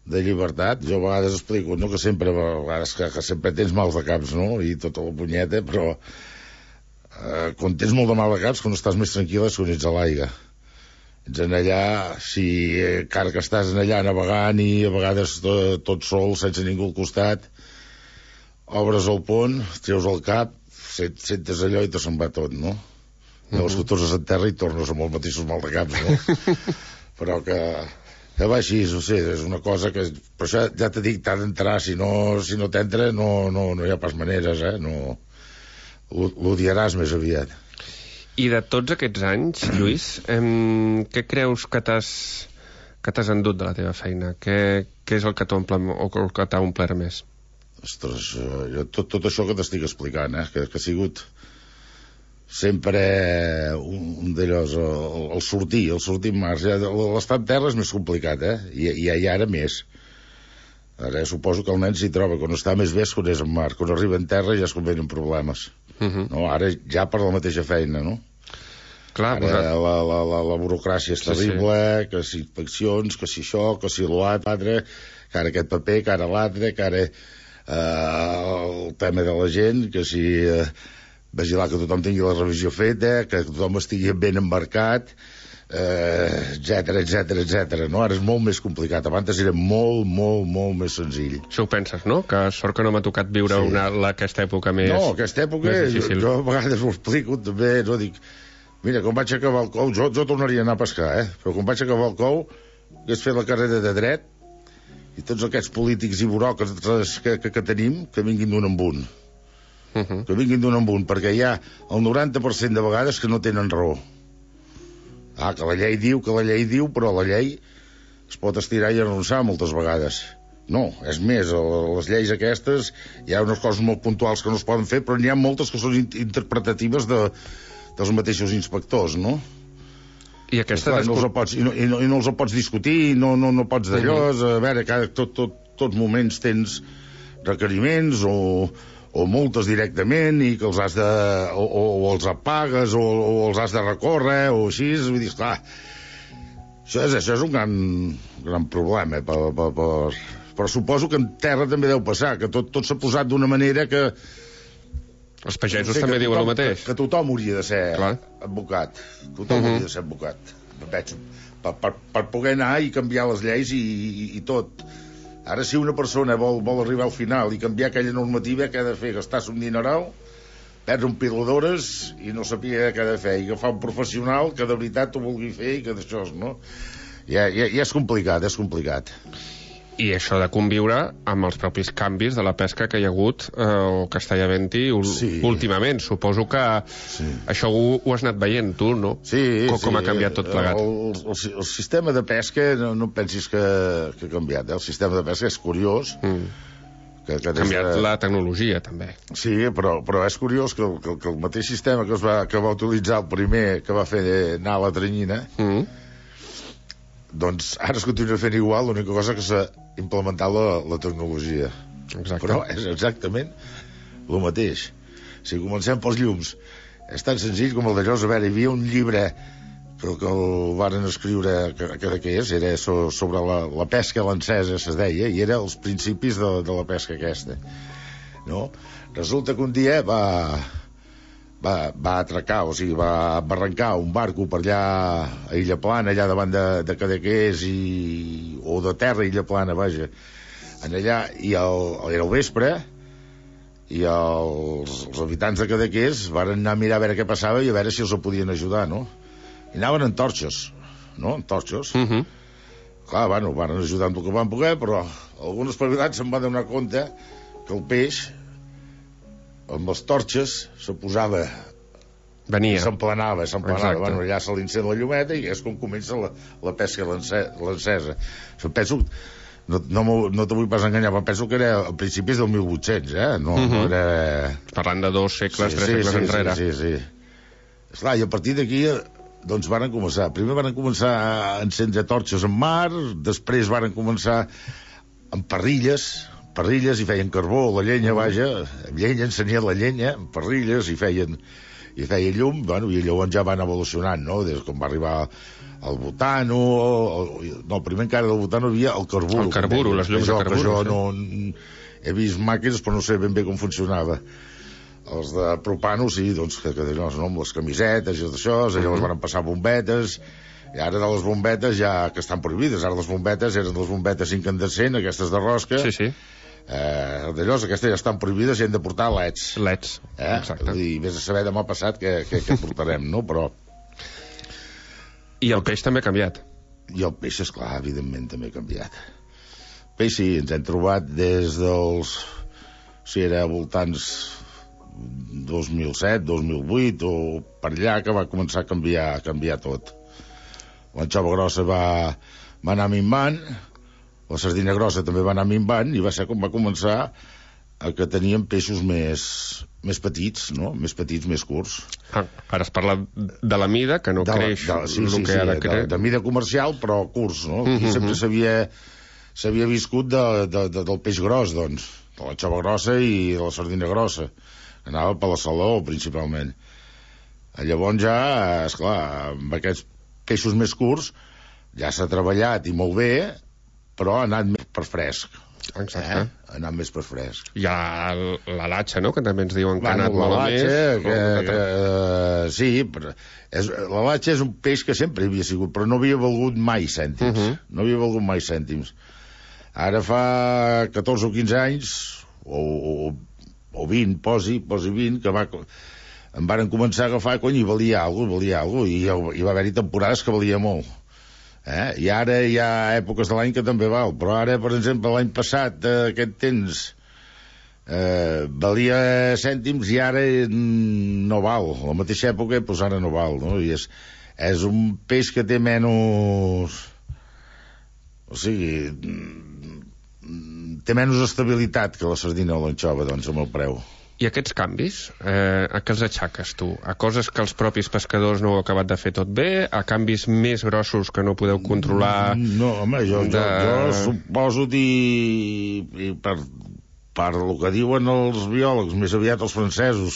de llibertat. Jo a vegades explico, no, que sempre, a vegades que sempre tens mals de caps, no? I tota la punyeta, però quan tens molt de mal de caps, quan estàs més tranquil·la és quan ets a l'aigua. Ets en allà, encara que estàs en allà navegant i a vegades tot sol, sense ningú al costat, obres el pont, treus el cap, sentes allò i te se'n va tot, no? Llavors que tornes a terra i tornes amb els mateixos mal de caps, no? Però que va així, no sé, és una cosa que... Per això ja t'he dit, t'ha d'entrar, si no t'entra no hi ha pas maneres, no... L'odiaràs més aviat. I de tots aquests anys, Lluís, què creus que t'has endut de la teva feina? Què és el que t'ha omplert més? Ostres, tot això que t'estic explicant, que ha sigut sempre un d'allòs, el sortir en mar. L'estar en terra és més complicat, i ara més. Ara suposo que el nen s'hi troba, quan està més bé és quan és en mar, quan arriba en terra ja es convenen problemes. No? Ara ja per la mateixa feina, no? Clar, ara la burocràcia és terrible, que si inspeccions, que si això, que si l'altre, que ara aquest paper, que ara l'altre, que ara el tema de la gent, que si vigilar que tothom tingui la revisió feta, que tothom estigui ben embarcat, etc. No? Ara és molt més complicat. Abans era molt més senzill. Això ho penses, no? Que sort que no m'ha tocat viure aquesta època més difícil. No, aquesta època, jo a vegades ho explico també, no? Dic, mira, quan vaig acabar el cou, jo tornaria a anar a pescar, però quan vaig acabar el cou, hagués fet la carrera de dret, i tots aquests polítics i buròcrates que tenim, que vinguin d'un en un. Que vinguin d'un en un, perquè hi ha el 90% de vegades que no tenen raó. Que la llei diu, però la llei es pot estirar i arronsar moltes vegades. No, és més, les lleis aquestes hi ha unes coses molt puntuals que no es poden fer, però n'hi ha moltes que són interpretatives dels mateixos inspectors, no? I aquesta no els pots discutir, no pots d'allò, a veure, tots moments tens requeriments o multes directament i que els has de... o els apagues o els has de recórrer o així, vull dir, esclar, això és un gran problema, però suposo que en terra també deu passar, que tot s'ha posat d'una manera que... Els pagesos també diuen el mateix. Que tothom hauria de ser advocat. Tothom hauria de ser advocat. Per poder anar i canviar les lleis i tot. Ara, si una persona vol arribar al final i canviar aquella normativa, què ha de fer? Gastar-se un dineral, perdre un pila d'hores i no sabia què ha de fer. I agafar un professional que de veritat ho vulgui fer i que d'això, no? Ja és complicat, I això de conviure amb els propis canvis de la pesca que hi ha hagut o que està havent-hi últimament. Suposo que això ho has anat veient tu, no? Sí. Com ha canviat tot plegat. El sistema de pesca, no pensis que ha canviat. El sistema de pesca és curiós. Ha canviat la tecnologia, també. Sí, però és curiós que el mateix sistema que va utilitzar el primer que va fer anar la tranyina, doncs ara es continua fent igual, l'única cosa que s'ha implementat la tecnologia. Exacte. Però és exactament el mateix. Si comencem pels llums, és tan senzill com el d'allò. A veure, hi havia un llibre que el varen escriure, que era sobre la pesca lancesa, es deia, i era els principis de la pesca aquesta, no? Resulta que un dia va atracar, o sigui, va arrencar un barco per allà a Illa Plana, allà davant de Cadaqués o de terra a Illa Plana, vaja, allà, i era el vespre, i els habitants de Cadaqués van anar a mirar a veure què passava i a veure si els podien ajudar, no? I anaven en torxes, no? En torxes. Clar, bueno, van ajudar amb el que van poder, però alguns espavilats se'n van donar compte que el peix amb les torxes se posava, s'emplenava, bueno, allà se l'encén la llumeta i és com comença la pesca lancesa. Penso, no te vull pas enganyar, però penso que era a principis del 1800, no era... Parlant de 2 segles, 3 segles enrere. Sí. Esclar, i a partir d'aquí doncs varen començar. Primer varen començar a encendre torxes en mar, després varen començar amb parrilles i feien carbó, la llenya, vaja, encenien la llenya, amb parrilles, i feien llum, bueno, i llavors ja van evolucionant, no? Des com va arribar el butano, no, primer encara del butano hi havia el carburo. El carburo, les llums de carburo. Jo no he vist màquines, però no sé ben bé com funcionava. Els de propano, sí, doncs, que amb les camisetes i això, llavors van passar bombetes, i ara de les bombetes ja, que estan prohibides, ara les bombetes eren les bombetes incandescents, aquestes de rosca. Sí. D'allò, aquestes ja estan prohibides i hem de portar leds. Exacte. I vés a saber demà passat què portarem, no? Però... I el peix també ha canviat. I el peix, esclar, evidentment també ha canviat. El peix sí, ens hem trobat des dels... Si era voltants 2007, 2008 o per allà que va començar a canviar tot. L'anxova grossa va anar minvant, la sardina grossa també va anar minvant, i va ser com va començar a que teníem peixos més petits, no? Més petits, més curts. Ara es parla de la mida, que no creix el que ha de créixer. De mida comercial, però curts, no? Aquí sempre s'havia viscut del peix gros, doncs, de l'anxova grossa i de la sardina grossa. Anava per la saló, principalment. Llavors ja, esclar, amb aquests peixos més curts ja s'ha treballat i molt bé, però ha anat més per fresc. Exacte. Ha anat més per fresc. Hi ha la latxa, no?, que també ens diuen que ha anat molt més. Sí, però la latxa és un peix que sempre hi havia sigut, però no havia valgut mai cèntims. No havia valgut mai cèntims. Ara fa 14 o 15 anys, o 20, posi 20, que em varen començar a agafar, i valia alguna cosa, i hi va haver-hi temporades que valia molt. I ara hi ha èpoques de l'any que també val, però ara, per exemple, l'any passat, aquest temps, valia cèntims i ara no val. A la mateixa època, doncs ara no val, no? I és un peix que té menys... O sigui... té menys estabilitat que la sardina o l'anxova, doncs, amb el preu. I aquests canvis, a què els aixaques tu? A coses que els propis pescadors no heu acabat de fer tot bé? A canvis més grossos que no podeu controlar? No, home, jo suposo i per el que diuen els biòlegs, més aviat els francesos,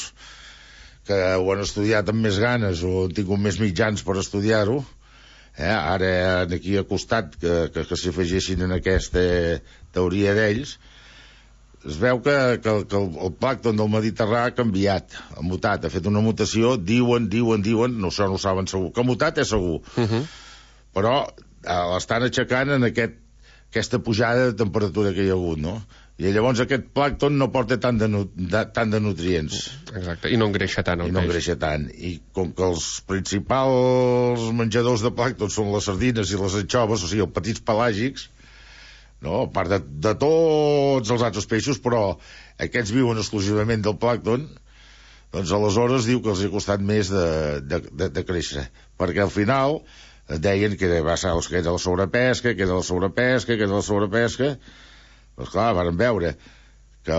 que ho han estudiat amb més ganes o han tingut més mitjans per estudiar-ho, ara aquí a costat que s'afegessin en aquesta teoria d'ells, es veu que el plàncton del Mediterrani ha canviat, ha mutat, ha fet una mutació, diuen, no ho saben segur, que ha mutat és segur, però l'estan aixecant en aquesta pujada de temperatura que hi ha hagut, no? I llavors aquest plàncton no porta tant de nutrients. Exacte, i no engreixa tant el peix. I no engreixa tant. I com que els principals menjadors de plàncton són les sardines i les anxoves, o sigui, els petits pelàgics, no? A part de tots els altres peixos, però aquests viuen exclusivament del plàncton, doncs aleshores diu que els ha costat més de créixer, perquè al final deien que era la sobrepesca, que era la sobrepesca. Doncs clar, varen veure que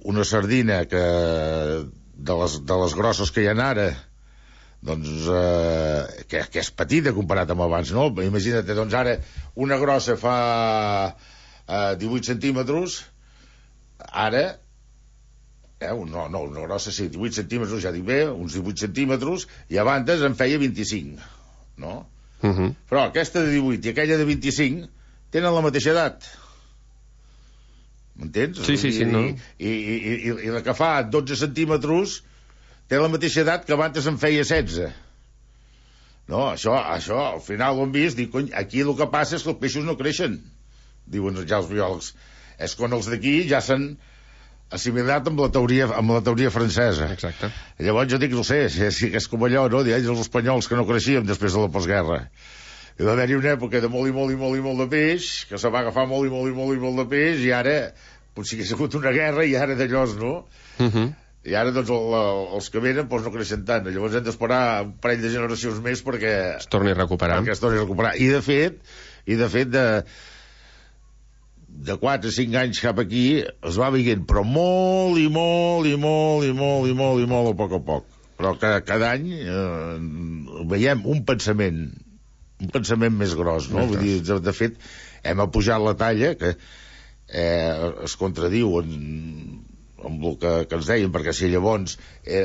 una sardina de les grosses que hi ha ara, doncs que és petita comparat amb abans, no? Imagina't, doncs ara una grossa fa 18 centímetres, ara una grossa sí, 18 centímetres, ja dic bé, uns 18 centímetres, i abans en feia 25, no? Però aquesta de 18 i aquella de 25 tenen la mateixa edat, m'entens? Sí, no? I la que fa 12 centímetres té la mateixa edat que abans en feia 16. No, això al final ho hem vist, dic, cony, aquí el que passa és que els peixos no creixen, diuen ja els biòlegs. És quan els d'aquí ja s'han assimilat amb la teoria francesa. Exacte. Llavors jo dic, no sé, si és com allò, no? Ells els espanyols que no creixíem després de la postguerra. Hi va haver-hi una època de molt de peix, que se va agafar molt de peix, i ara potser que ha sigut una guerra i ara d'allòs, no? I ara doncs els que venen doncs no creixen tant. Llavors hem d'esperar un parell de generacions més perquè es torni a recuperar. I de fet de 4 o 5 anys cap aquí es va veient, però molt a poc. Però cada any veiem un pensament més gros, no? Vull dir, de fet, hem apujat la talla, que es contradiu amb el que ens deien, perquè si llavors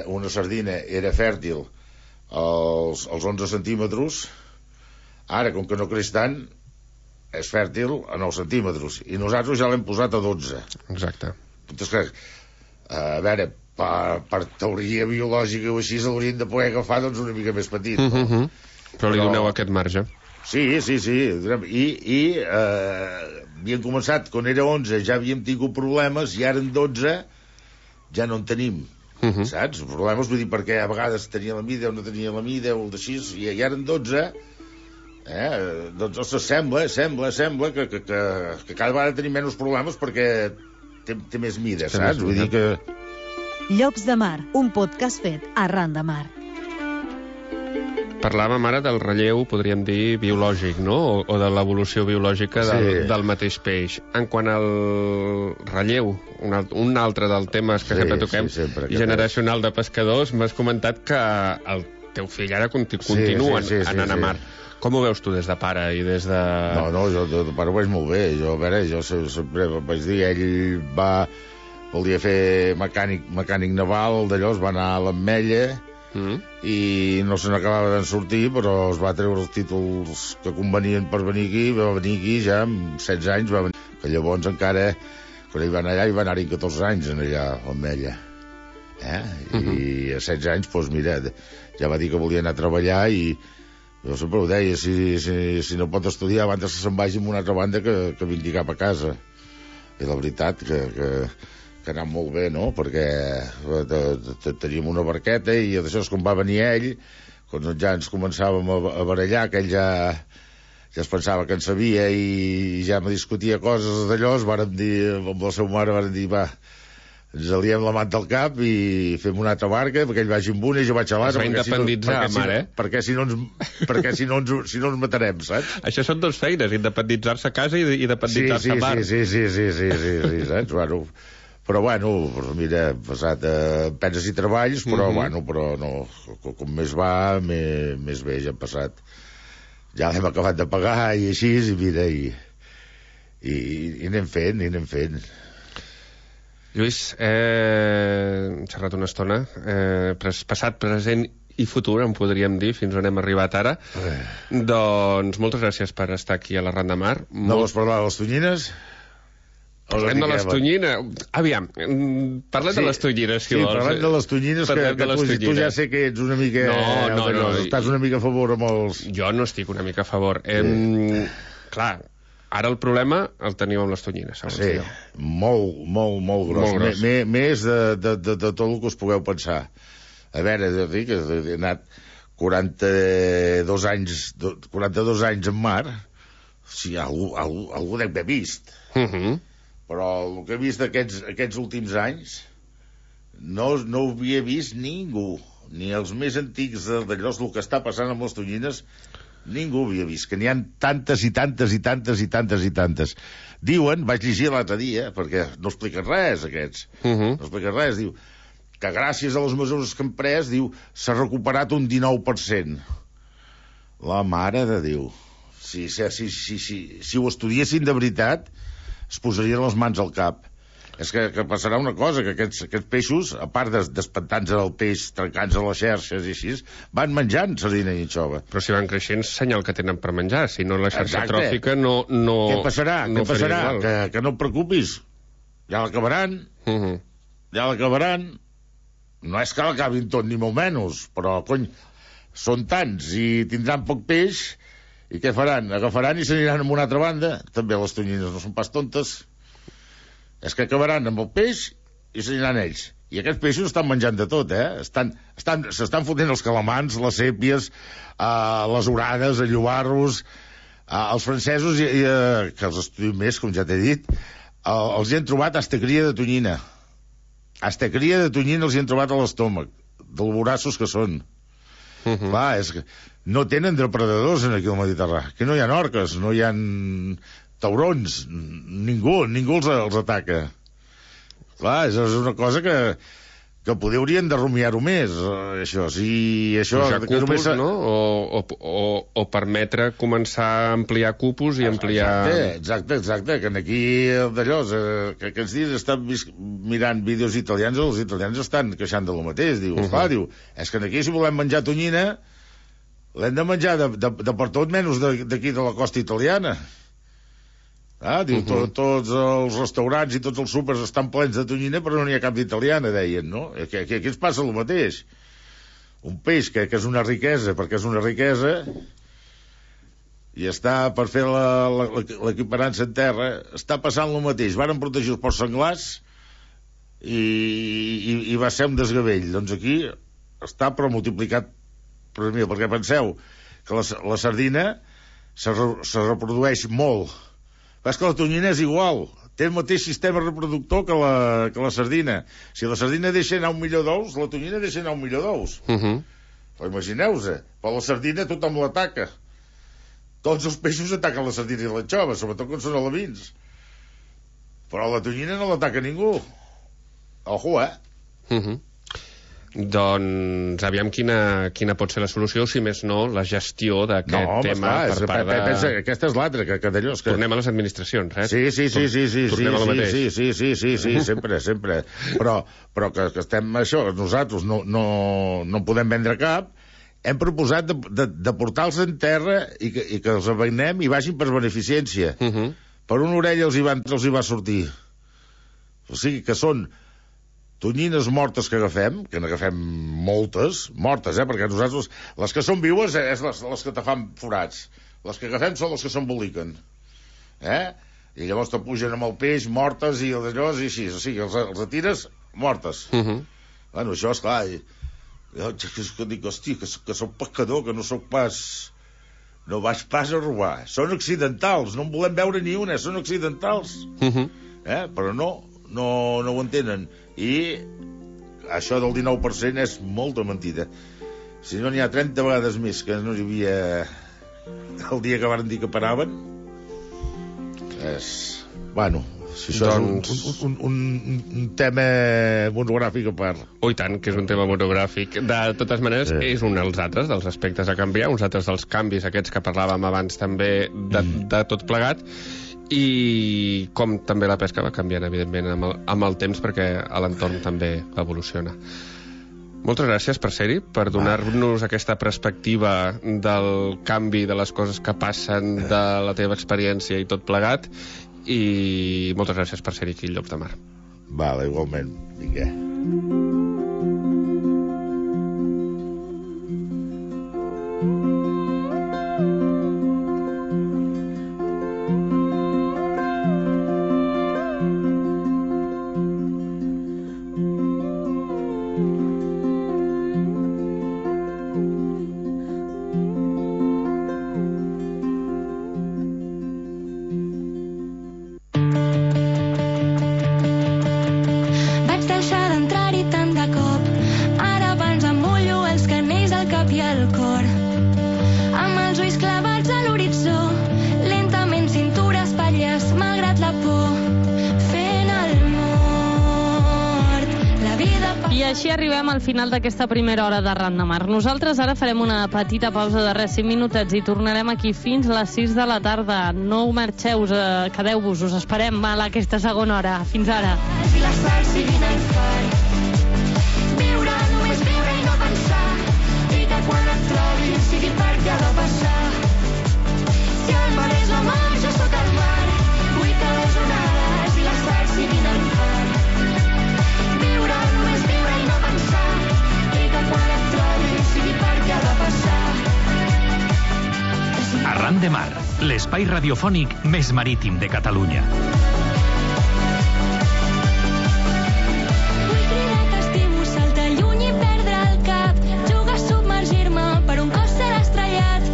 una sardina era fèrtil als 11 centímetres, ara, com que no creix tant, és fèrtil a 9 centímetres, i nosaltres ja l'hem posat a 12. Exacte. Entonces, a veure, per teoria biològica o així, l'haurien de poder agafar doncs una mica més petit, no? Però li doneu aquest marge. Sí. I havíem començat, quan era 11 ja havíem tingut problemes, i ara en 12 ja no en tenim, saps? Problemes, vull dir, perquè a vegades tenia la mida o no tenia la mida o el d'així, i ara en 12 doncs sembla que cada vegada tenim menys problemes perquè té més mida, saps? Vull dir que... Llocs de Mar, un podcast fet arran de mar. Parlàvem ara del relleu, podríem dir, biològic, no? O de l'evolució biològica del mateix peix. En quant al relleu, un altre dels temes que sempre toquem, generacional de pescadors, m'has comentat que el teu fill ara continua anant a mar. Com ho veus tu des de pare i des de... No, jo de pare ho veig molt bé. Jo sempre vaig dir, ell volia fer mecànic naval, d'allò es va anar a l'Ametlla, i no se n'acabava d'en sortir, però es va treure els títols que convenien per venir aquí, va venir aquí ja amb 16 anys, va venir. Que llavors encara, quan ell va anar allà, hi va anar-hi 14 anys allà a l'Ametlla. I a 16 anys, doncs mira, ja va dir que volia anar a treballar, i jo sempre ho deia, si no pot estudiar abans que se'n vagi amb una altra banda que vingui cap a casa. I la veritat que ha anat molt bé, no? Perquè teníem una barqueta, i d'això és com va venir ell, quan ja ens començàvem a barallar, que ell ja es pensava que en sabia i ja me discutia coses d'allò, vàrem dir, amb la seva mare vàrem dir, va, ens aliem la manta al cap i fem una altra barca, perquè ell vagi amb una i jo vaig a l'altra. Es va independitzar, mare, perquè si no ens matarem, saps? Això són dues feines, independitzar-se a casa i independitzar-se a mar. Sí, saps? Però mira, hem passat penses i treballs, però no, com més va, més bé, ja hem passat. Ja l'hem acabat de pagar i així, i mira, i anem fent. Lluís, hem xerrat una estona, passat, present i futur, en podríem dir, fins on hem arribat ara. Doncs moltes gràcies per estar aquí a la Ran de Mar. No vols parlar de les tonyines? Parlem de les tonyines. Aviam, parlem de les tonyines, si vols. Sí, parlem de les tonyines, que tu ja sé que ets una mica... No. Estàs una mica a favor amb els... Jo no estic una mica a favor. Clar, ara el problema el teniu amb les tonyines, segons jo. Molt gros. Més de tot el que us pugueu pensar. A veure, he anat 42 anys en mar, Sí, algú dec haver vist. Però el que he vist aquests últims anys no ho havia vist ningú. Ni els més antics d'allò, el que està passant amb les tonyines, ningú havia vist. Que n'hi ha tantes i tantes i tantes i tantes i tantes. Diuen, vaig llegir l'altre dia, perquè no expliquen res, aquests. No expliquen res, diu que gràcies a les mesures que han pres, diu, s'ha recuperat un 19%. La mare de Déu. Si ho estudiessin de veritat, es posarien les mans al cap. És que passarà una cosa, que aquests peixos, a part d'espantar-nos el peix, trencant-nos a les xarxes i així, van menjant sardina i anxova. Però si van creixent, senyal que tenen per menjar. Si no, la xarxa tròfica no... Què passarà? Que no et preocupis. Ja l'acabaran. Ja l'acabaran. No és que l'acabin tot, ni molt menys, però, cony, són tants i tindran poc peix, i què faran? Agafaran i s'aniran a una altra banda. També les tonyines no són pas tontes. És que acabaran amb el peix i s'aniran ells. I aquests peixos estan menjant de tot, s'estan fotent els calamars, les sèpies, les orades, els llobarros, els francesos, que els estudiem més, com ja t'he dit, els hi han trobat hasta cria de tonyina. Hasta cria de tonyina els hi han trobat a l'estómac, del vorassos que són. Clar, és que no tenen depredadors aquí al Mediterrani. Que no hi ha orques, no hi ha taurons, ningú els ataca. Clar, és una cosa que poder haurien de rumiar-ho més, això. Si això... Pujar cupos, no? O permetre començar a ampliar cupos i ampliar... Exacte, que aquí d'allò, que aquests dies estan mirant vídeos italians, els italians estan queixant de lo mateix, diu, és que aquí si volem menjar tonyina, l'hem de menjar de per tot menys d'aquí de la costa italiana. Diu, tots els restaurants i tots els súpers estan plens de tonyina, però no n'hi ha cap d'italiana, deien, no? Aquí ens passa el mateix. Un peix que és una riquesa, perquè és una riquesa, i està per fer l'equiparança en terra, està passant el mateix. Varen protegir els porcs senglars i va ser un desgavell. Doncs aquí està però multiplicat per mil, perquè penseu que la sardina se reprodueix molt. És que la tonyina és igual, té el mateix sistema reproductor que la sardina. Si la sardina deixa anar 1 milió d'ous, la tonyina deixa anar 1 milió d'ous. Imagineu-vos, però la sardina tothom l'ataca. Tots els peixos ataquen la sardina i l'anxova, sobretot quan són alevins. Però la tonyina no l'ataca ningú. Ojo, Doncs aviam quina pot ser la solució, si més no, la gestió d'aquest tema per part de... Pensa, aquesta és l'altra, que d'allò... Tornem a les administracions, Sí. Tornem a la mateix. Sí, sempre. Però que estem això, nosaltres no podem vendre cap, hem proposat de portar-los en terra i que els avenem i vagin per beneficència. Per una orella els hi va sortir. O sigui que són tonyines mortes que n'agafem moltes, mortes, perquè nosaltres, les que són viues és les que te fan forats. Les que agafem són les que s'emboliquen. I llavors te pugen amb el peix, mortes i d'allò, i així. O sigui, els atires mortes. Bueno, això és clar. Jo dic, hòstia, que soc pescador, que no soc pas... No vaig pas a robar. Són accidentals, no en volem veure ni una, són accidentals. Però no ho entenen. I això del 19% és molta mentida. Si no n'hi ha 30 vegades més que no hi havia el dia que van dir que paraven, bueno, si això és un tema monogràfic a part. I tant, que és un tema monogràfic. De totes maneres, és un dels altres dels aspectes a canviar, uns altres dels canvis aquests que parlàvem abans també de tot plegat. I com també la pesca va canviant, evidentment, amb el temps, perquè l'entorn també evoluciona. Moltes gràcies per ser-hi, per donar-nos aquesta perspectiva del canvi de les coses que passen, de la teva experiència i tot plegat, i moltes gràcies per ser-hi aquí al Llops de Mar. Vale, igualment. Vinga. palpi el cor. Amb els ulls clavats a l'horitzó, lentament cintura espatlles, malgrat la por, fent el mort. La vida... I així arribem al final d'aquesta primera hora de Ran de Mar. Nosaltres ara farem una petita pausa de res, 5 minutets, i tornarem aquí fins les 6 de la tarda. No marxeu, quedeu-vos, us esperem a aquesta segona hora. Fins ara. I la sal siguin el far. Viure, només viure i no pensar. I que quan et trobis sigui perquè ha de passar. Si el mar és la mar, jo sóc el mar. Vull que les onades i la sal siguin el far. Viure, només viure i no pensar. I que quan et trobis sigui perquè ha de passar. Arran de Mar, l'espai radiofònic més marítim de Catalunya. Vull cridar que estimo, saltar lluny i perdre el cap, jugar a submergir-me per un cos ser estrellat.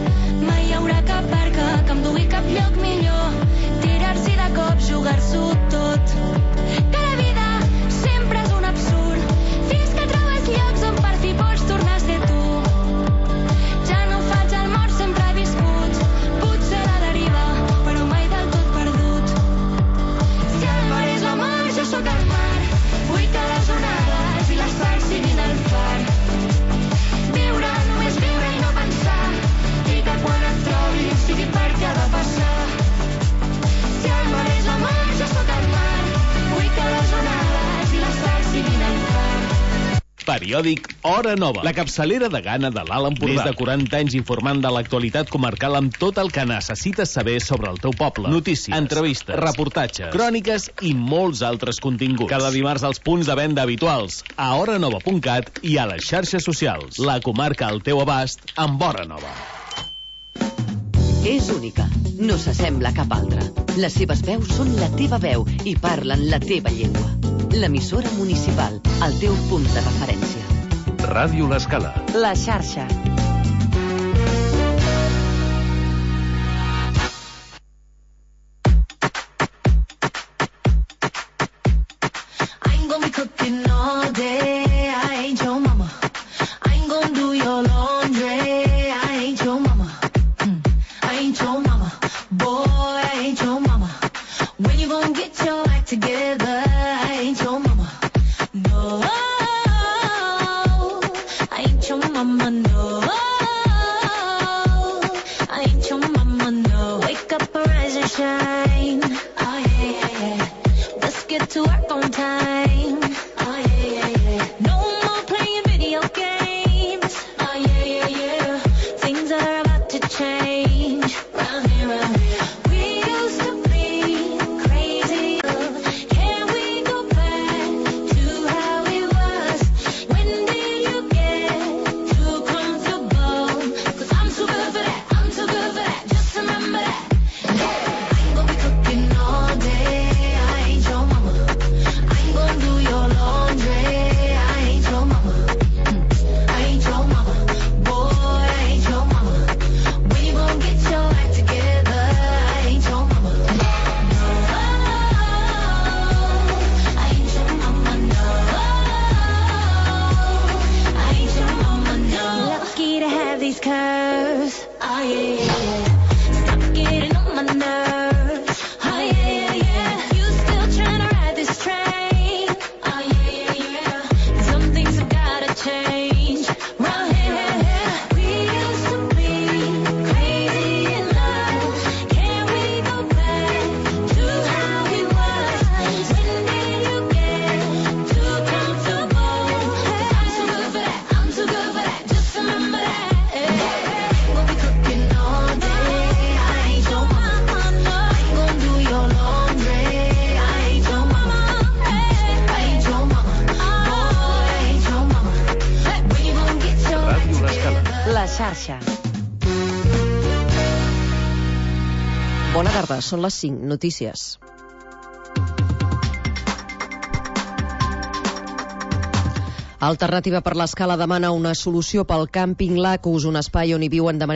Mai hi haurà cap barca que em dugui cap lloc millor, tirar-s'hi de cop, jugar-s'ho tot. Que la vida sempre és un absurd, fins que trobes llocs on per fi pots tornar a ser tu. Ja no faig el mort, sempre he viscut, potser a la deriva, però mai del tot perdut. Si el mar és la mar, jo sóc el mar. Vull que les onades i la sal siguin el far. Viure, només viure i no pensar. I que quan et trobis sigui perquè ha de passar. Si el mar és la mar, jo sóc el mar. Vull que les onades i la sal siguin el far. Periòdic Hora Nova, la capçalera de gana de l'Alt Empordà. Més de 40 anys informant de l'actualitat comarcal amb tot el que necessites saber sobre el teu poble. Notícies, entrevistes, reportatges, cròniques i molts altres continguts. Cada dimarts als punts de venda habituals, a horanova.cat i a les xarxes socials. La comarca al teu abast amb Hora Nova. És única, no s'assembla a cap altra. Les seves veus són la teva veu i parlen la teva llengua. L'emissora municipal, el teu punt de referència. Ràdio L'Escala. La xarxa. I ain't gonna be cooking all day. I ain't your mama. I ain't gonna do your laundry. I ain't your mama. I ain't your mama. Boy, I ain't your mama. When you gonna get your act together? I ain't your mama. No, I ain't your mama. No, I ain't your mama. No, wake up, arise and shine. Oh yeah, yeah, yeah. Let's get to work on time. Oh yeah, yeah, yeah. No more playing video games. Oh yeah, yeah, yeah. Things are about to change. Round here, round here. We used to be crazy. Can we go back to how it was? When did you get too comfortable? 'Cause I'm too good for that. I'm too good for that. Just remember that. I ain't gonna be cooking all day. I ain't your mama. I ain't gonna do your laundry. I ain't your mama. I ain't your mama. Boy, I ain't your mama. When you gonna get your act together? I ain't your mama. No, I ain't your mama. No, I ain't your mama. No. Lucky to have these curves. Oh yeah, yeah, yeah. Stop getting on my nerves. Oh yeah, yeah, yeah. You still trying to ride this train? Oh yeah, yeah, yeah. Some things have gotta change. Round here, we used to be crazy in love. Can we go back to how it was? When did you get too comfortable? 'Cause I'm too good for that. I'm too good for that. Just remember that. We'll be cooking all day. I ain't your mama. No. I ain't gonna do your laundry. I ain't your mama. I ain't your mama. Boy, I ain't your mama. When you gonna get your Ràdio L'Escala. La xarxa. Bona tarda, són les 5 notícies. Alternativa per l'Escala demana una solució pel càmping Lacus, un espai on hi viuen de manera